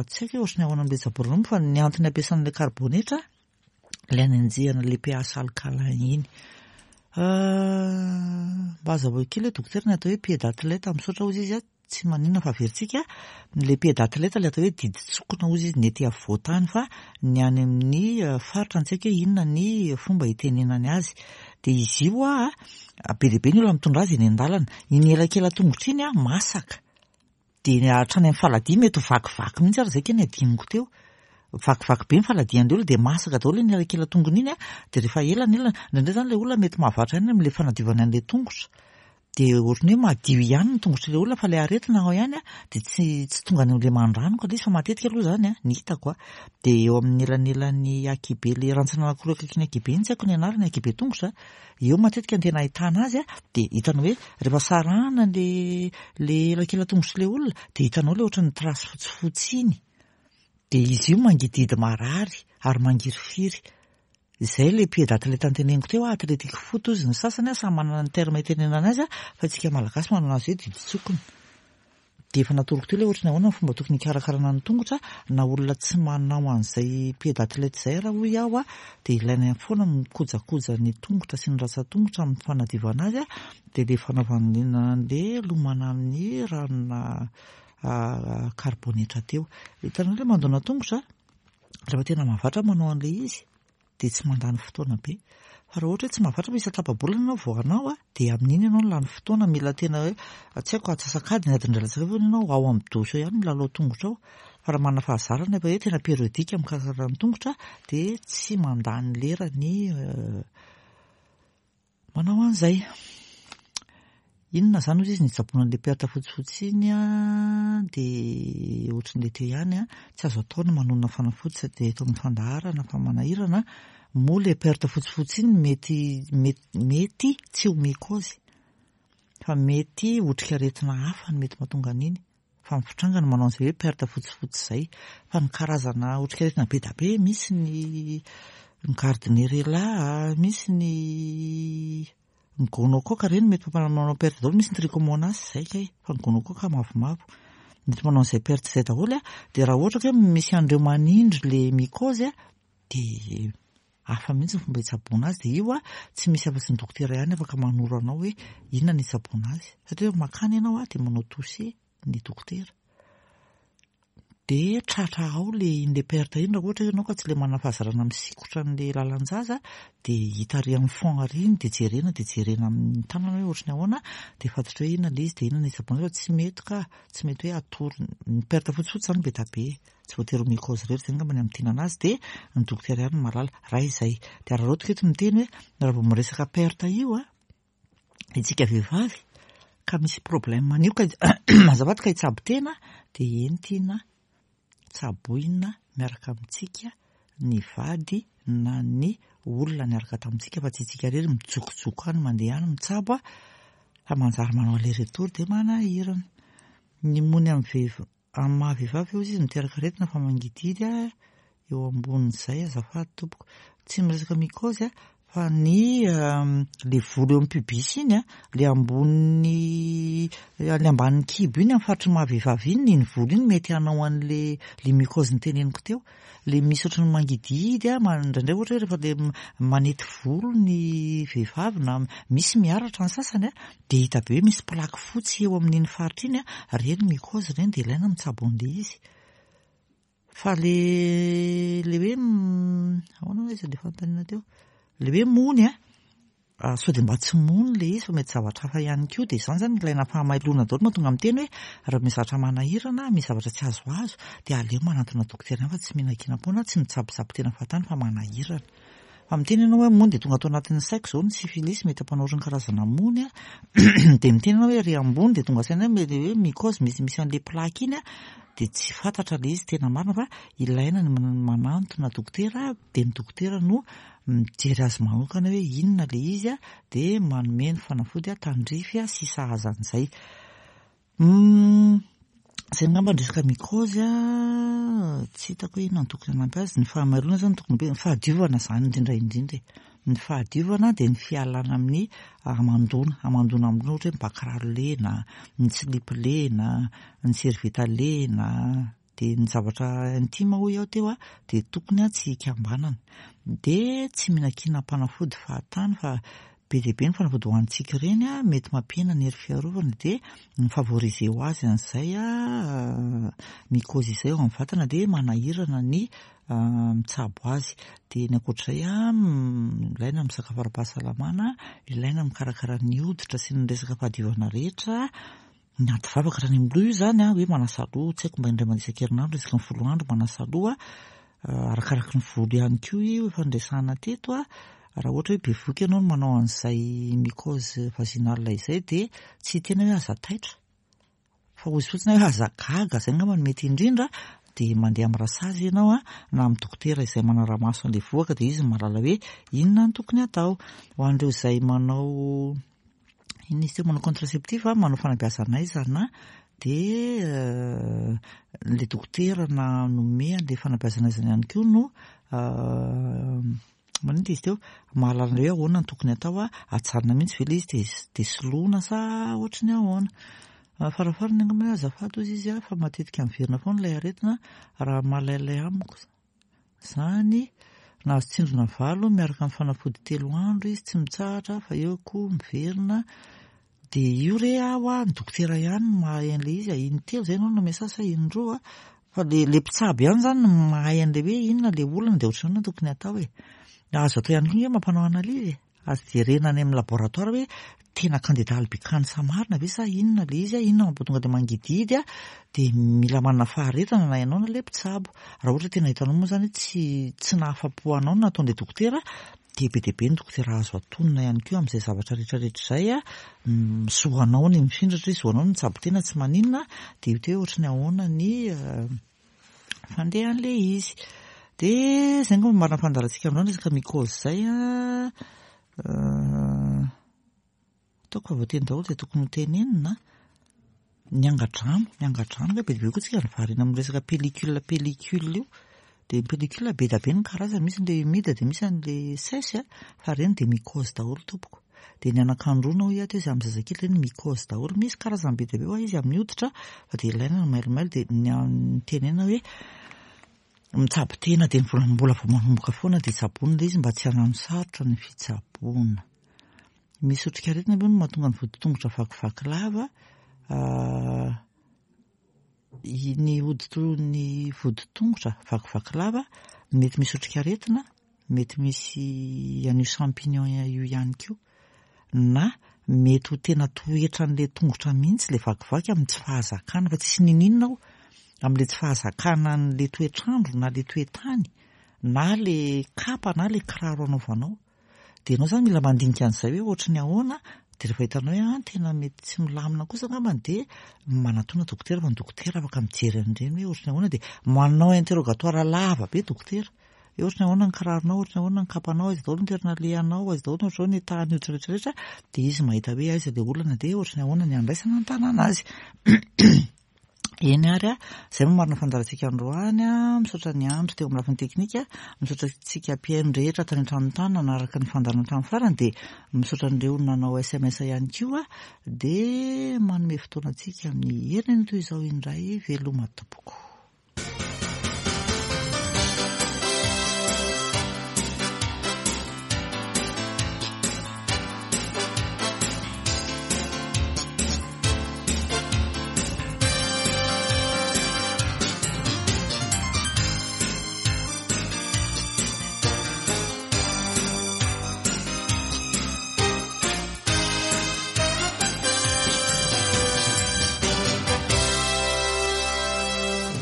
tsy haiko hoe ohatry ny ahoana amin'ilay jaboran'omby fa ny antony ampiasana ilay karibonetra ilay anenjehana ilay pH alcalin iny. Mba hazavao kely hoe dokotera ny atao hoe pied d'athlète, misaotra hozy izy a. Tsy maninona fa averintsika, ilay pied d'athlète ilay atao hoe didin-tsokina hozy izy ny ety afovoan-tany fa ny any amin'ny faritra tsy haiko hoe inona ny fomba itenenany azy. Dia izy io hoa be dia be ny olona mitondra azy eny an-dalana. Iny elakela-tongotra iny masaka. Dia hatrany amin'ny faladia mety ho vakivaky mihitsy ary izay kay ny adinoko teo. Vakivaky be ny faladian'ilay olona dia masaka daholo iny elakela-tongony iny dia rehefa ela ny ela, indraindray izany ilay olona mety mahavatra ihany amin'ilay fanadiovana an'ilay tongotra. Dia ohatran'ny hoe madio ihany ny tongotr'ilay olona fa ilay aretina ao ihany dia tsy tsy tonga any amin'ilay mandranoka ilay izy fa matetika aloha izany an, ny hitako an, dia eo amin'ny elanelan'ny ankihibe ilay rantsana anankiroa akaikin'ny ankihibe iny tsy haiko ny anarany, ankihibe tongotra, eo matetika no tena ahitana azy an, dia hitanao hoe rehefa sarahana ilay ilay elakelan-tongotr'ilay olona dia hitanao ilay ohatran'ny trace fotsifotsy iny, dia izy io mangidihidy marary ary mangirifiry. Izay ilay pied d'athlète noteneniko teo, athletic foot hozy ny sasany, samy manana ny terme itenenana azy fa isika malagasy manana azy hoe didin-tsokina. Dia efa natoroko teo ilay ohatry ny ahoana ny fomba tokony hikarakarana ny tongotra, na olona tsy manao an'izay pied d'athlète izay ara hoy aho dia ilaina foana ny mikojakoja ny tongotra sy ny ratsan-tongotra amin'ny fanadiovana azy dia ilay fanaovana an'ilay lomana amin'ny ranona karibonetra teo. Hitanao ilay mandona tongotra? Rehefa tena mahavatra manao an'ilay izy dia tsy mandany fotoana be. Fa raha ohatra hoe tsy mahavatra fa isan-tapa-bolana ianao vao hanao dia amin'iny ianao no lany fotoana, mila tena hoe tsy haiko antsasak'adiny, adiny iray latsaka fahefany ianao ao amin'ny douche ao ihany milalao tongotra ao. Fa raha manana fahazarana efa hoe tena périodique mikarakara ny tongotra dia tsy mandany lera ny Manao an'izay. Inona izany hozy izy nitsaboana an'ilay perte fotsifotsy iny an, dia ohatran'ilay teo ihany an, tsy azo atao ny manonona fanafody sady eto amin'ny fandaharana fa manahirana, moa ilay perte fotsifotsy iny mety mety tsy ho mycose fa mety otrikaretina hafa no mety mahatonga an'iny. Fa ny fitranga no manao an'izay hoe perte fotsifotsy izay. Fa ny karazana otrikaretina be dia be, misy ny ny gardnerella, misy ny ny gonocoque, ireny mety mampanao perte daholo, misy ny trichomonas, izay kay, fa ny gonocoque mavomavo. Mety manao an'izay perte izay daholo an, dia raha ohatra ka hoe misy an'ireo manindry ilay mycose an, dia hafa mihitsy ny fomba hitsaboana azy, dia io an, tsy misy afa-tsy ny dokotera ihany afaka manoro anao hoe inona ny hitsaboana azy, satria rehefa mankany ianao an, dia manao touse ny dokotera, dia tratra ao le iny le perte iny raha ohatra ianao ka tsy le manana fahazarana misikotra an'le lalan-jaza, dia hita ary amin'ny fond ary iny, dia jerena, dia jerena amin'ny tanana hoe ohatry ny ahoana, dia fantatra hoe inona le izy, dia inona ny hitsaboana azy, fa tsy mety ka, tsy mety hoe atoro, ny perte fotsifotsy izany be dia be. Tsy voatery ho mycose irery izay angamba ny hamintinana azy dia ny dokotera ihany no mahalala. Raha izay. Dia araraotiko eto miteny hoe raha vao miresaka perte io an, isika vehivavy ka misy problème an'io ka azafady ka hitsabo tena dia entina tsaboina miaraka amintsika ny vady na ny olona niaraka tamintsika fa tsy isika irery mijokojoko any mandeha any mitsabo fa manjary manao aller retour dia manahirana. Ny mony amin'ny vehivavy Amin'ny maha vehivavy hozy izy miteraka aretina fa mangidihidy eo ambonin'izay azafady tompoko. Tsy miresaka mycose a, Fa ny le volo eo amin'ny pubis iny a, le ambonin'ny le ambanin'ny kibo iny amin'ny faritry ny maha vehivavy iny, iny volo iny mety hanao an'le le mycose noteneniko teo. Le misy ohatran'ny mangidihidy a, indraindray ohatra hoe rehefa le manety volo ny vehivavy na misy miharatra ny sasany a, dia hita be hoe misy plaque fotsy eo amin'iny faritra iny a, ireny mycose ireny dia ilaina mitsabo an'ilay izy. Fa le le hoe ahoana hoy izy le fanontaniana teo? Le hoe mony a, sao dia mba tsy mony le izy fa mety zavatra hafa ihany koa, dia izany izany ilaina fahamailona daholo mahatonga miteny hoe raha misy zavatra manahirana, misy zavatra tsy azoazo dia aleo manantona dokotera ihany fa tsy mihinan-kinam-poana, tsy mitsabotsabo tena fahatany fa manahirana. Fa miteny ianao hoe mony dia tonga ato anatin'ny saiko izao ny syphilis mety hampanao ohatran'ny karazana mony a, dia miteny ianao hoe ery ambony dia tonga saina hoe mety hoe mycose misy misy an'ilay plaque iny a, dia tsy fantatra ilay izy tena marina fa ilaina ny manantona dokotera dia ny dokotera no mijery azy manokana hoe inona ilay izy a, dia manome ny fanafody tandrify sy sahaza an'izay. Izay angamba ny resaka mycose a, tsy hitako hoe inona no tokony hanampy azy, ny fahamaroana izany no tokony be, ny fahadiovana izany indrindra indrindra e, ny fahadiovana dia ny fialana amin'ny hamandoana, hamandoana amin'ny ohatra hoe mibakiraro lena, ny silipy lena, ny servieta lena, dia ny zavatra intime hoy aho teo a, dia tokony tsy hikambanana, dia tsy mihinan-kinam-panafody fahatany fa Be dia be ny fanafody hohanintsika ireny a, mety mampihena ny hery fiarovana dia mi-favoriser ho azy an'izay mycose izay ao amin'ny vatana dia manahirana ny mitsabo azy. Dia ny ankoatr'izay a, ilaina ny misakafo ara-pahasalamana, ilaina mikarakara ny hoditra sy ny resaka fahadiovana rehetra, Ny ady vavaka hatrany amin'ny loha io izany an, hoe manasa loha, tsy haiko mba indray mandeha isan-kerinandro isaky ny folo andro manasa loha, arakaraky ny volo ihany koa io efa niresahana teto an, raha ohatra hoe bevohoka ianao no manao an'izay mycose vaginale izay dia tsy hiteny hoe aza taitra fa hozy fotsiny hoe aza gaga, izay angamba no mety indrindra, dia mandeha amin'ny rasazy ianao an, na amin'ny dokotera izay manara-maso an'ilay vohoka dia izy no mahalala hoe inona no tokony hatao. Ho an'ireo izay manao Inona izy teo, manao contraceptif, manao fanabeazana aizana dia ilay dokotera na nome an'ilay fanabeazana aizana ihany koa no maninona izy teo, mahalala hoe ahoana no tokony atao, ajanona mihitsy ve ilay izy dia dia soloina sa ohatry ny ahoana. Farafarany angamba hoe azafady hozy izy fa matetika miverina foana ilay aretina raha malailay amiko. Izany, nahazo tsindrona valo miaraka amin'ny fanafody telo andro izy tsy mitsahatra fa eo koa miverina dia io re aho a, ny dokotera ihany no mahay an'ilay izy a, intelo izay ianao no nampiasa azy sa indroa fa le le mpitsabo ihany izany no mahay an'ilay hoe inona ilay olana dia ohatran'ny ahoana no tokony hatao e. Azo atao ihany koa ange mampanao analyse e. Azo jerena any amin'ny laboratoire hoe tena candida albicans marina ve sa inona ilay izy, inona mampatonga ilay mangidihidy, dia mila manana faharetana na ianao na ilay mpitsabo. Raha ohatra tena hitanao moa izany hoe tsy tsy nahafa-po anao ny nataon'ilay dokotera, dia be dia be ny dokotera azo atonina ihany koa amin'izay zavatra rehetra rehetra izay, zo anao ny mifindra satria zo anao ny mitsabo tena tsy maninona, dia hita hoe ohatry ny ahoana ny fandehan'ilay izy. Dia izay angamba no marina fandaharantsika androany resaka mycose izay an. Ataoko fa voateny daholo izay tokony ho tenenina. Ny angadrano, ny angadrano ange be dia be koa tsika ny variana amin'ny resaka pellicule pellicule io. Dia ny pellicule be dia be ny karazany, misy an'ilay humide dia misy an'ilay sèche fa ireny dia mycose daholo tompoko. Dia ny anakandroana hoy aho teo izay amin'ny zazakely ireny mycose daholo, misy karazany be dia be hoa izy amin'ny hoditra fa dia ilaina ny mailomailo dia ny tenena hoe mitsabo tena dia mbola mbola vao manomboka foana dia tsaboina ilay izy mba tsy hanano sarotra ny fitsaboana. Misy otrikaretina aloha no mahatonga ny voditongotra vakivaky lava, ny hoditro ny voditongotra vakivaky lava mety misy otrikaretina Mety misy an'io champignon io ihany koa. Na mety ho tena toetran'ilay tongotra mihitsy ilay vakivaky amin'ny tsy fahazakana, fa tsisy niniana ao amin'ilay tsy fahazakana an'ilay toetr'andro na ilay toetany na ilay kapa na ilay kiraro anaovanao. Dia ianao izany mila mandinika an'izay hoe ohatry ny ahoana, dia rehefa hitanao hoe an tena mety tsy milamina kosa angambany dia manatona dokotera fa ny dokotera afaka mijery an'ireny hoe ohatry ny ahoana dia manao interrogatoire lava be dokotera. Hoe ohatry ny ahoana ny kiraronao, ohatry ny ahoana ny kapanao, aiza daholo ny toerana alehanao, aiza daholo ny ohatr'izao ny tahan'ny hoditra rehetra rehetra, dia izy mahita hoe aiza ilay olana dia ohatry ny ahoana ny handraisana an-tanana azy. Eny ary a, izay no marina fandaharantsika androany a, misaotra ny Andry teo amin'ny lafiny teknika, misaotra antsika mpihaino rehetra tany an-trano tany nanaraka ny fandaharana hatramin'ny farany dia misaotra an'ireo nanao sms ihany koa dia manome fotoana antsika amin'ny herinandro toy izao indray veloma tompoko.